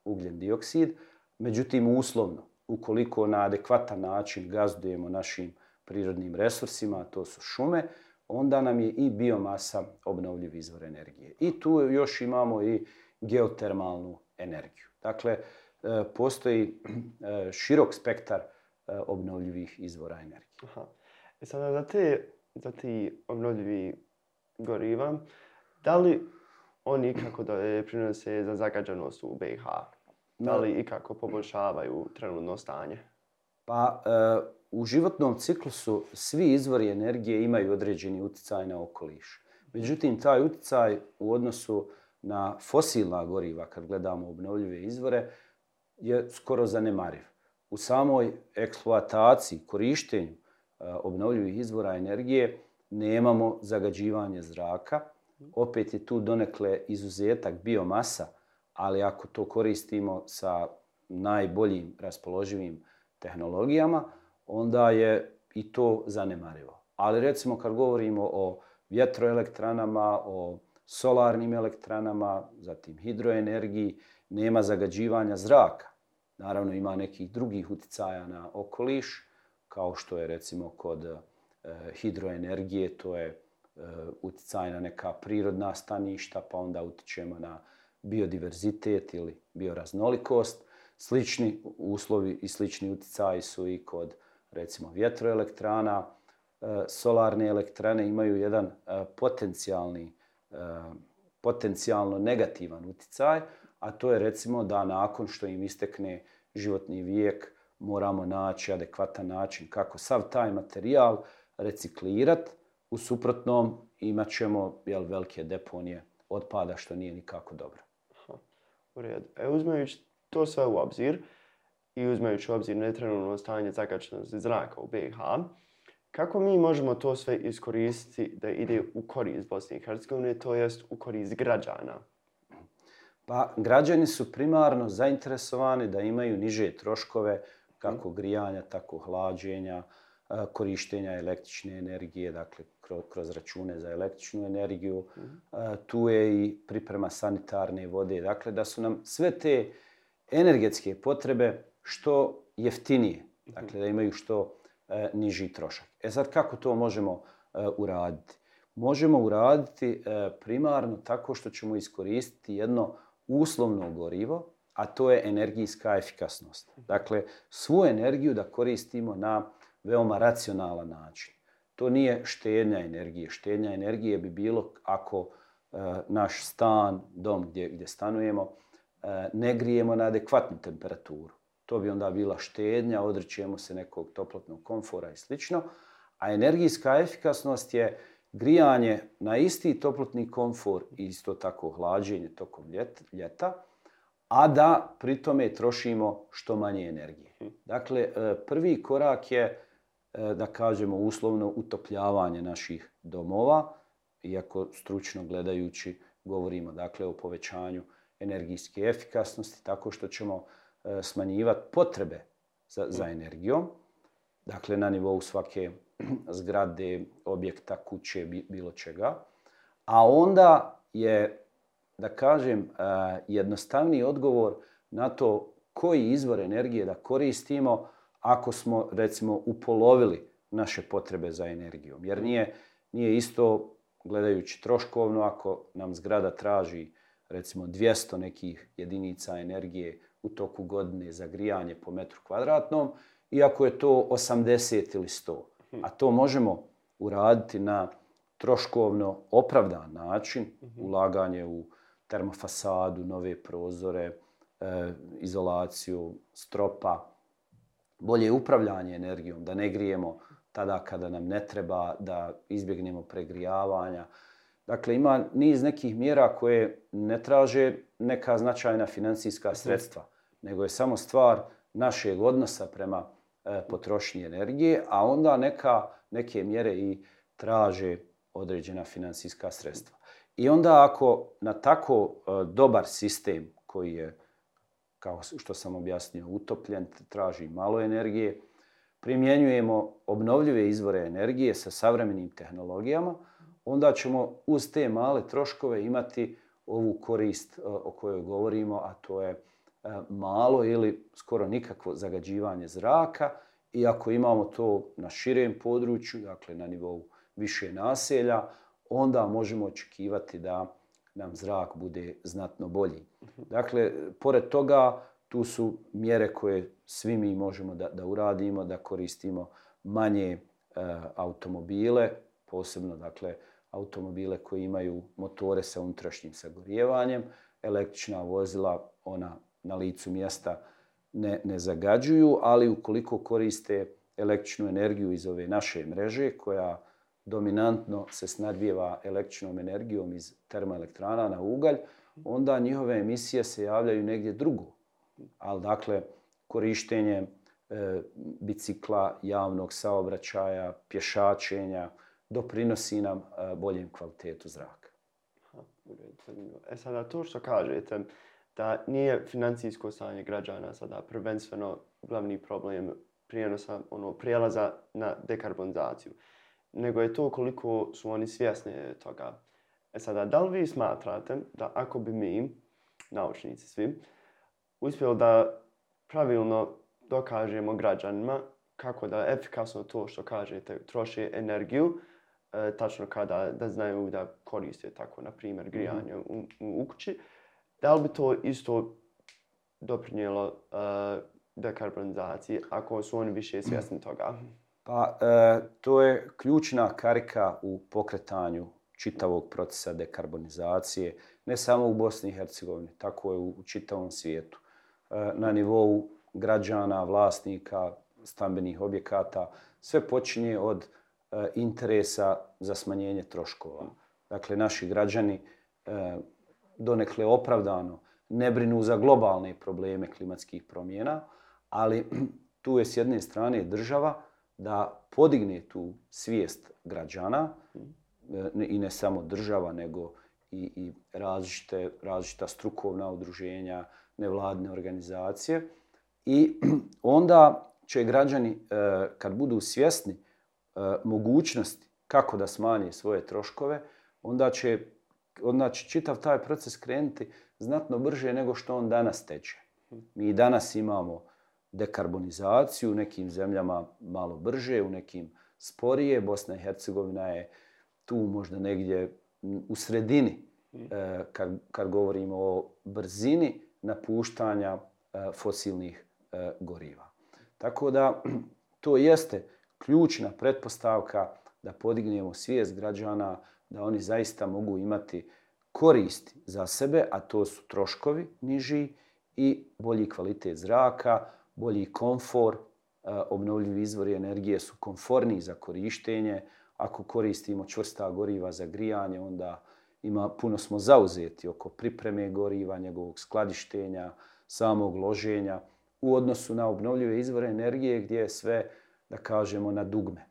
S14: ugljen dioksid, međutim uslovno, ukoliko na adekvatan način gazdujemo našim prirodnim resursima, a to su šume, onda nam je i biomasa obnovljiv izvor energije. I tu još imamo i geotermalnu energiju. Dakle, postoji širok spektar obnovljivih izvora energije.
S13: Sada za ti obnovljivi goriva, da li oni ikako da prinose za zagađenost u BiH? Da li ikako poboljšavaju trenutno stanje?
S14: Pa, u životnom ciklusu svi izvori energije imaju određeni utjecaj na okoliš. Međutim, taj utjecaj u odnosu na fosilna goriva, kad gledamo obnovljive izvore, je skoro zanemariv. U samoj eksploataciji, korištenju obnovljivih izvora energije nemamo zagađivanje zraka. Opet je tu donekle izuzetak biomasa, ali ako to koristimo sa najboljim raspoloživim tehnologijama, onda je i to zanemarivo. Ali recimo kad govorimo o vjetroelektranama, o solarnim elektranama, zatim hidroenergiji, nema zagađivanja zraka. Naravno ima nekih drugih utjecaja na okoliš, kao što je recimo kod hidroenergije, to je utjecaj na neka prirodna staništa, pa onda utječemo na biodiverzitet ili bioraznolikost. Slični uslovi i slični utjecaji su i kod recimo vjetroelektrana. Solarne elektrane imaju jedan potencijalno negativan utjecaj, a to je recimo da nakon što im istekne životni vijek moramo naći adekvatan način kako sav taj materijal reciklirati. U suprotnom imat ćemo velike deponije otpada, što nije nikako dobro.
S13: U redu. Uzmajući to sve u obzir i uzmajući u obzir netrenutno stanje zagađenosti zraka u BiH, kako mi možemo to sve iskoristiti da ide u korist Bosne i Hercegovine, to jest u korist građana?
S14: Pa, građani su primarno zainteresovani da imaju niže troškove, kako grijanja, tako hlađenja, korištenja električne energije, dakle kroz račune za električnu energiju. Tu je i priprema sanitarne vode. Dakle, da su nam sve te energetske potrebe što jeftinije. Dakle, da imaju što niži trošak. Sad, kako to možemo uraditi? Možemo uraditi primarno tako što ćemo iskoristiti jedno uslovno gorivo, a to je energijska efikasnost. Dakle, svu energiju da koristimo na veoma racionalan način. To nije štednja energije. Štednja energije bi bilo ako naš stan, dom gdje stanujemo, ne grijemo na adekvatnu temperaturu. To bi onda bila štednja, odričemo se nekog toplotnog komfora i sl. A energijska efikasnost je grijanje na isti toplotni komfor i isto tako hlađenje tokom ljeta, a da pri tome trošimo što manje energije. Dakle, prvi korak je, da kažemo uslovno, utopljavanje naših domova, iako stručno gledajući govorimo dakle o povećanju energijske efikasnosti tako što ćemo smanjivati potrebe za energijom, dakle na nivou svake zgrade, objekta, kuće, bilo čega. A onda je da kažem, jednostavniji odgovor na to koji izvor energije da koristimo ako smo, recimo, upolovili naše potrebe za energijom. Jer nije isto, gledajući troškovno, ako nam zgrada traži, recimo, 200 nekih jedinica energije u toku godine za grijanje po metru kvadratnom, iako je to 80 ili 100. A to možemo uraditi na troškovno opravdan način, ulaganje u termofasadu, nove prozore, izolaciju stropa, bolje upravljanje energijom, da ne grijemo tada kada nam ne treba, da izbjegnemo pregrijavanja. Dakle, ima niz nekih mjera koje ne traže neka značajna financijska sredstva, nego je samo stvar našeg odnosa prema potrošnji energije, a onda neke mjere i traže određena financijska sredstva. I onda ako na tako dobar sistem koji je, kao što sam objasnio, utopljen, traži malo energije, primjenjujemo obnovljive izvore energije sa savremenim tehnologijama, onda ćemo uz te male troškove imati ovu korist o kojoj govorimo, a to je malo ili skoro nikakvo zagađivanje zraka. I ako imamo to na širem području, dakle na nivou više naselja, onda možemo očekivati da nam zrak bude znatno bolji. Dakle, pored toga, tu su mjere koje svi mi možemo da uradimo, da koristimo manje automobile, posebno dakle automobile koji imaju motore sa unutrašnjim sagorijevanjem. Električna vozila, ona na licu mjesta ne zagađuju, ali ukoliko koriste električnu energiju iz ove naše mreže, koja dominantno se snabdijeva električnom energijom iz termoelektrana na ugalj, onda njihove emisije se javljaju negdje drugo. Ali dakle, korištenje bicikla, javnog saobraćaja, pješačenja doprinosi nam boljem kvalitetu zraka.
S13: Sada to što kažete, da nije financijsko stanje građana sada prvenstveno glavni problem prijelaza na dekarbonizaciju, nego je to koliko su oni svjesni toga. Sada, da li vi smatrate da ako bi mi, naučnici svi, uspjeli da pravilno dokažemo građanima kako da efikasno to što kažete troši energiju, tačno kada da znaju da koriste tako, na primjer, grijanje u kući, da li bi to isto doprinijelo dekarbonizaciji ako su oni više svjesni toga?
S14: Pa, to je ključna karika u pokretanju čitavog procesa dekarbonizacije, ne samo u Bosni i Hercegovini, tako je u čitavom svijetu. Na nivou građana, vlasnika, stambenih objekata, sve počinje od interesa za smanjenje troškova. Dakle, naši građani donekle opravdano ne brinu za globalne probleme klimatskih promjena, ali tu je s jedne strane država da podigne tu svijest građana, i ne samo država, nego i različita strukovna udruženja, nevladine organizacije. I onda će građani, kad budu svjesni mogućnosti kako da smanje svoje troškove, onda će čitav taj proces krenuti znatno brže nego što on danas teče. Mi danas imamo dekarbonizaciju, u nekim zemljama malo brže, u nekim sporije. Bosna i Hercegovina je tu možda negdje u sredini kad govorimo o brzini napuštanja fosilnih goriva. Tako da to jeste ključna pretpostavka da podignemo svijest građana, da oni zaista mogu imati koristi za sebe, a to su troškovi niži i bolji kvalitet zraka, bolji komfor. Obnovljivi izvori energije su komforniji za korištenje. Ako koristimo čvrsta goriva za grijanje, onda puno smo zauzeti oko pripreme goriva, njegovog skladištenja, samog loženja u odnosu na obnovljive izvore energije gdje je sve, da kažemo, na dugme.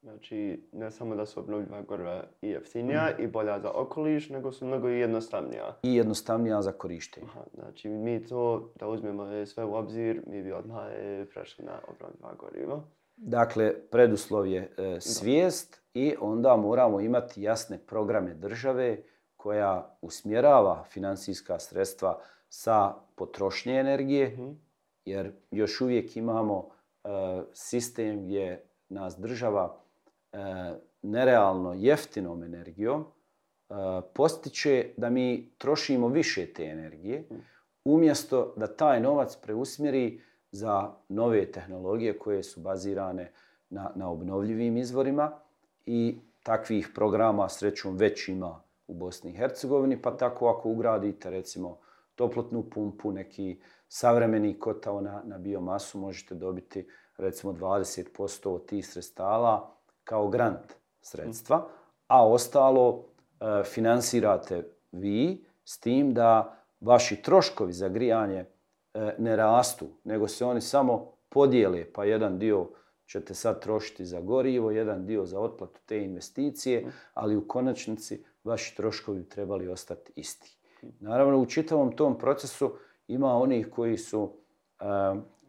S13: Znači, ne samo da su obnovljiva goriva i jeftinija i bolja za okoliš, nego su mnogo i jednostavnija.
S14: I jednostavnija za korištenje.
S13: Znači, mi to, da uzmemo sve u obzir, mi bi odmah prešli na obnovljiva goriva.
S14: Dakle, preduslov je svijest i onda moramo imati jasne programe države koja usmjerava financijska sredstva sa potrošnje energije, jer još uvijek imamo sistem gdje nas država nerealno jeftinom energijom postiče da mi trošimo više te energije, umjesto da taj novac preusmjeri za nove tehnologije koje su bazirane na obnovljivim izvorima i takvih programa srećom već ima u Bosni i Hercegovini, pa tako ako ugradite recimo toplotnu pumpu, neki savremeni kotao na biomasu, možete dobiti recimo 20% od tih sredstava kao grant sredstva, a ostalo finansirate vi s tim da vaši troškovi za grijanje ne rastu, nego se oni samo podijele, pa jedan dio ćete sad trošiti za gorivo, jedan dio za otplatu te investicije, ali u konačnici vaši troškovi bi trebali ostati isti. Naravno, u čitavom tom procesu ima onih koji su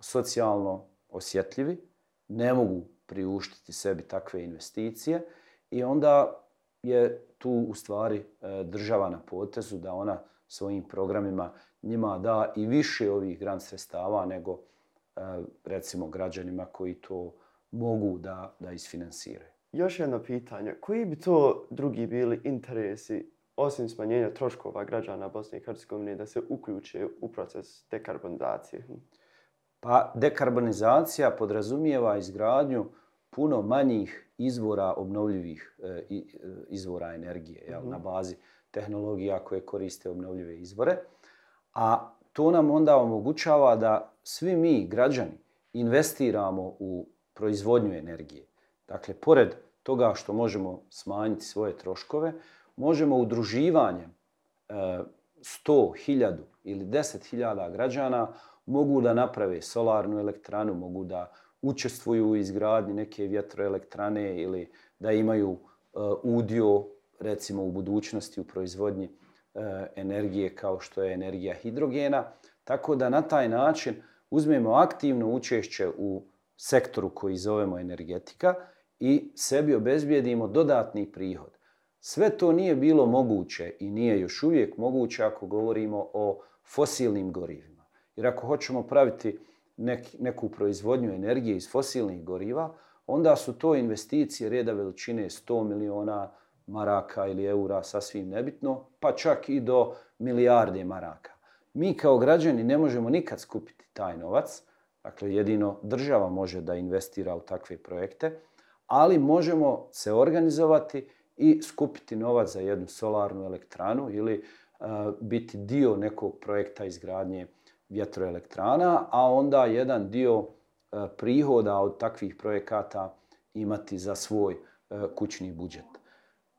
S14: socijalno osjetljivi, ne mogu priuštiti sebi takve investicije i onda je tu u stvari država na potezu da ona svojim programima njima da i više ovih grant sredstava nego recimo građanima koji to mogu da isfinansiraju.
S13: Još jedno pitanje. Koji bi to drugi bili interesi osim smanjenja troškova građana Bosne i Hercegovine da se uključe u proces dekarbonizacije?
S14: Pa dekarbonizacija podrazumijeva izgradnju puno manjih izvora obnovljivih izvora energije na bazi tehnologija koje koriste obnovljive izvore. A to nam onda omogućava da svi mi, građani, investiramo u proizvodnju energije. Dakle, pored toga što možemo smanjiti svoje troškove, možemo udruživanjem 100, 1000 ili 10.000 građana mogu da naprave solarnu elektranu, mogu da učestvuju u izgradnji neke vjetroelektrane ili da imaju udio recimo u budućnosti u proizvodnji energije kao što je energija hidrogena. Tako da na taj način uzmemo aktivno učešće u sektoru koji zovemo energetika i sebi obezbijedimo dodatni prihod. Sve to nije bilo moguće i nije još uvijek moguće ako govorimo o fosilnim gorivima. Jer ako hoćemo praviti neku proizvodnju energije iz fosilnih goriva, onda su to investicije reda veličine 100 miliona maraka ili eura, sasvim nebitno, pa čak i do milijarde maraka. Mi kao građani ne možemo nikad skupiti taj novac, dakle jedino država može da investira u takve projekte, ali možemo se organizovati i skupiti novac za jednu solarnu elektranu ili biti dio nekog projekta izgradnje vjetroelektrana, a onda jedan dio prihoda od takvih projekata imati za svoj kućni budžet.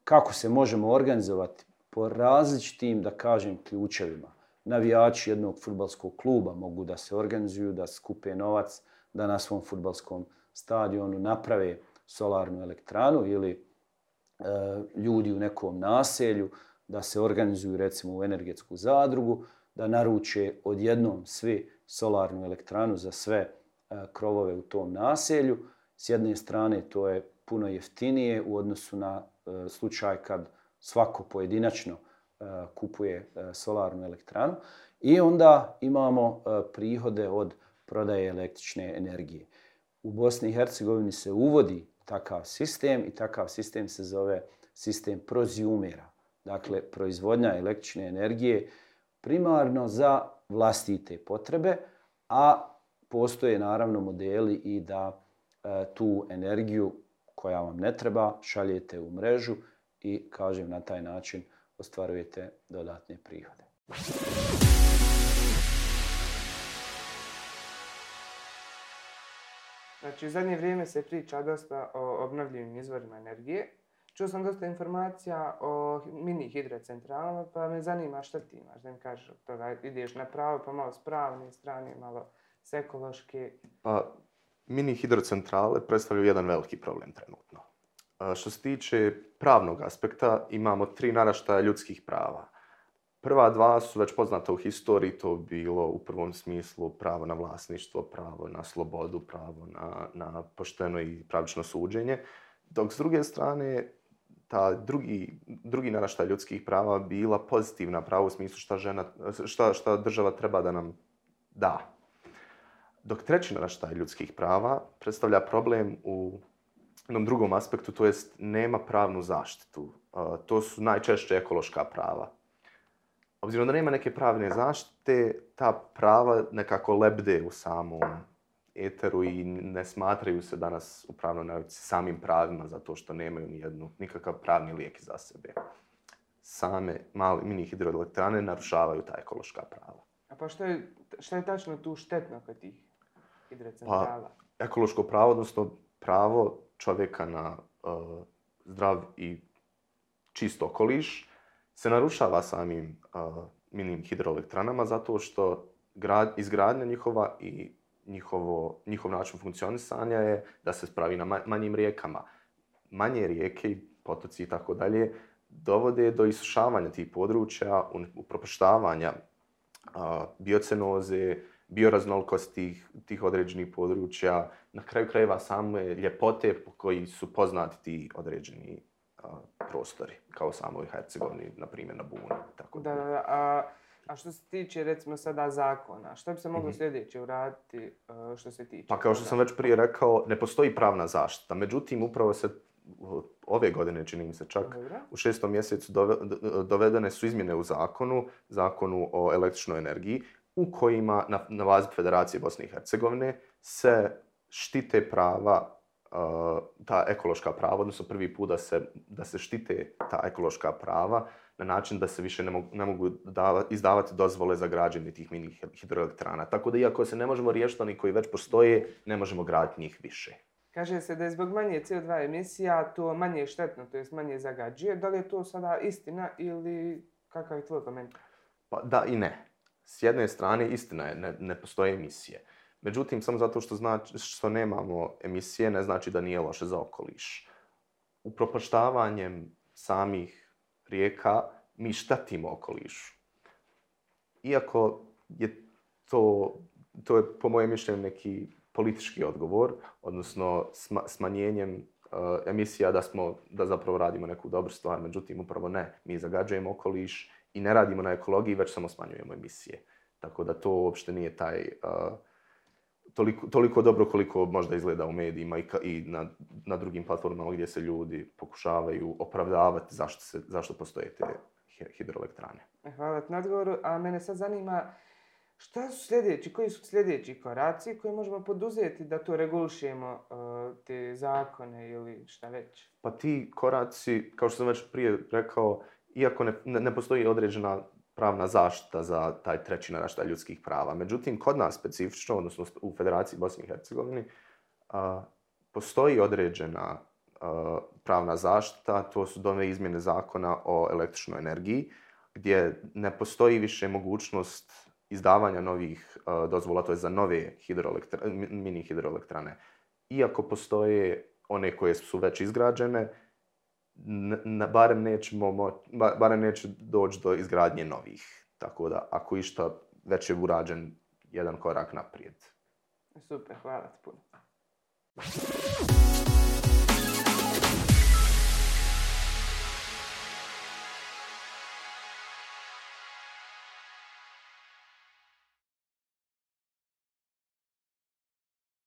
S14: Kako se možemo organizovati? Po različitim, da kažem, ključevima. Navijači jednog fudbalskog kluba mogu da se organizuju, da skupe novac, da na svom fudbalskom stadionu naprave solarnu elektranu ili ljudi u nekom naselju da se organizuju recimo u energetsku zadrugu, da naruče odjednom svi solarnu elektranu za sve krovove u tom naselju. S jedne strane to je puno jeftinije u odnosu na slučaj kad svako pojedinačno kupuje solarnu elektranu i onda imamo prihode od prodaje električne energije. U Bosni i Hercegovini se uvodi takav sistem i takav sistem se zove sistem prozjumera. Dakle, proizvodnja električne energije primarno za vlastite potrebe, a postoje naravno modeli i da tu energiju koja vam ne treba šaljete u mrežu i, kažem, na taj način ostvarujete dodatne prihode.
S15: Znači, u zadnje vrijeme se priča dosta o obnovljivim izvorima energije. Čuo sam dosta informacija o mini hidrocentralama, pa me zanima šta ti imaš, da mi kažeš od toga. Ideš na pravo, pa malo s pravne strane, malo s ekološke.
S9: Pa, mini hidrocentrale predstavljaju jedan veliki problem trenutno. Što se tiče pravnog aspekta, imamo 3 naraštaja ljudskih prava. Prva 2 su već poznata u historiji, to bilo u prvom smislu pravo na vlasništvo, pravo na slobodu, pravo na pošteno i pravično suđenje. Dok s druge strane, ta drugi naraštaj ljudskih prava bila pozitivna prava u smislu šta država treba da nam da. Dok treći naraštaj ljudskih prava predstavlja problem u jednom drugom aspektu, to jest nema pravnu zaštitu. To su najčešće ekološka prava. Obzirom da nema neke pravne zaštite, ta prava nekako lebde u samom eteru i ne smatraju se danas u pravnoj nauci samim pravima zato što nemaju nikakav pravni lijek za sebe. Same mini hidroelektrane narušavaju ta ekološka prava.
S15: A pa šta je tačno tu štetno kod tih hidrocentrala?
S9: Pa, ekološko pravo, odnosno pravo čovjeka na zdrav i čist okoliš, se narušava samim mini hidroelektranama zato što izgradnja njihova i njihov način funkcionisanja je da se spravi na manjim rijekama. Manje rijeke i potoci i tako dalje dovode do isušavanja tih područja, upropaštavanja biocenoze, bioraznolikosti tih određenih područja, na kraju krajeva same ljepote po koji su poznati ti određeni prostori, kao samoj Hercegovini, na primjer na Buni. Tako
S15: da. A što se tiče, recimo, sada zakona, što bi se moglo sljedeće uraditi što se tiče?
S9: Pa kao što sam već prije rekao, ne postoji pravna zaštita. Međutim, upravo se ove godine, čini mi se čak, u 6. mjesecu dovedene su izmjene u zakonu o električnoj energiji, u kojima na bazi Federacije Bosne i Hercegovine se štite prava, ta ekološka prava, odnosno prvi put da se štite ta ekološka prava na način da se više ne mogu izdavati dozvole za građenje tih mini hidroelektrana. Tako da iako se ne možemo riješiti oni koji već postoje, ne možemo graditi njih više.
S15: Kaže se da je zbog manje CO2 emisija to manje štetno, to jest manje zagađuje. Da li je to sada istina ili kakav je tvoj komentar?
S9: Pa da i ne. S jedne strane istina je, ne postoje emisije. Međutim, samo zato što nemamo emisije ne znači da nije loše za okoliš. Upropaštavanjem samih rijeka mi štetimo okolišu. Iako je to je po mojem mišljenju neki politički odgovor, odnosno smanjenjem emisija da zapravo radimo neku dobru stvar, međutim upravo ne. Mi zagađujemo okoliš i ne radimo na ekologiji, već samo smanjujemo emisije. Tako da to uopšte nije toliko dobro koliko možda izgleda u medijima i na drugim platformama gdje se ljudi pokušavaju opravdavati zašto postoje te hidroelektrane.
S15: Hvala ti na odgovoru, a mene sad zanima koji su sljedeći koraci koje možemo poduzeti da to regulišemo, te zakone ili šta već?
S9: Pa ti koraci, kao što sam već prije rekao, iako ne postoji određena pravna zaštita za taj treći naraštaj ljudskih prava. Međutim, kod nas specifično, odnosno u Federaciji Bosne i Hercegovine, postoji određena pravna zaštita, to su nove izmjene zakona o električnoj energiji, gdje ne postoji više mogućnost izdavanja novih dozvola, to je za nove mini hidroelektrane. Iako postoje one koje su već izgrađene, barem neće doći do izgradnje novih. Tako da, ako išta, već je urađen jedan korak naprijed.
S15: Super, hvala ti puno.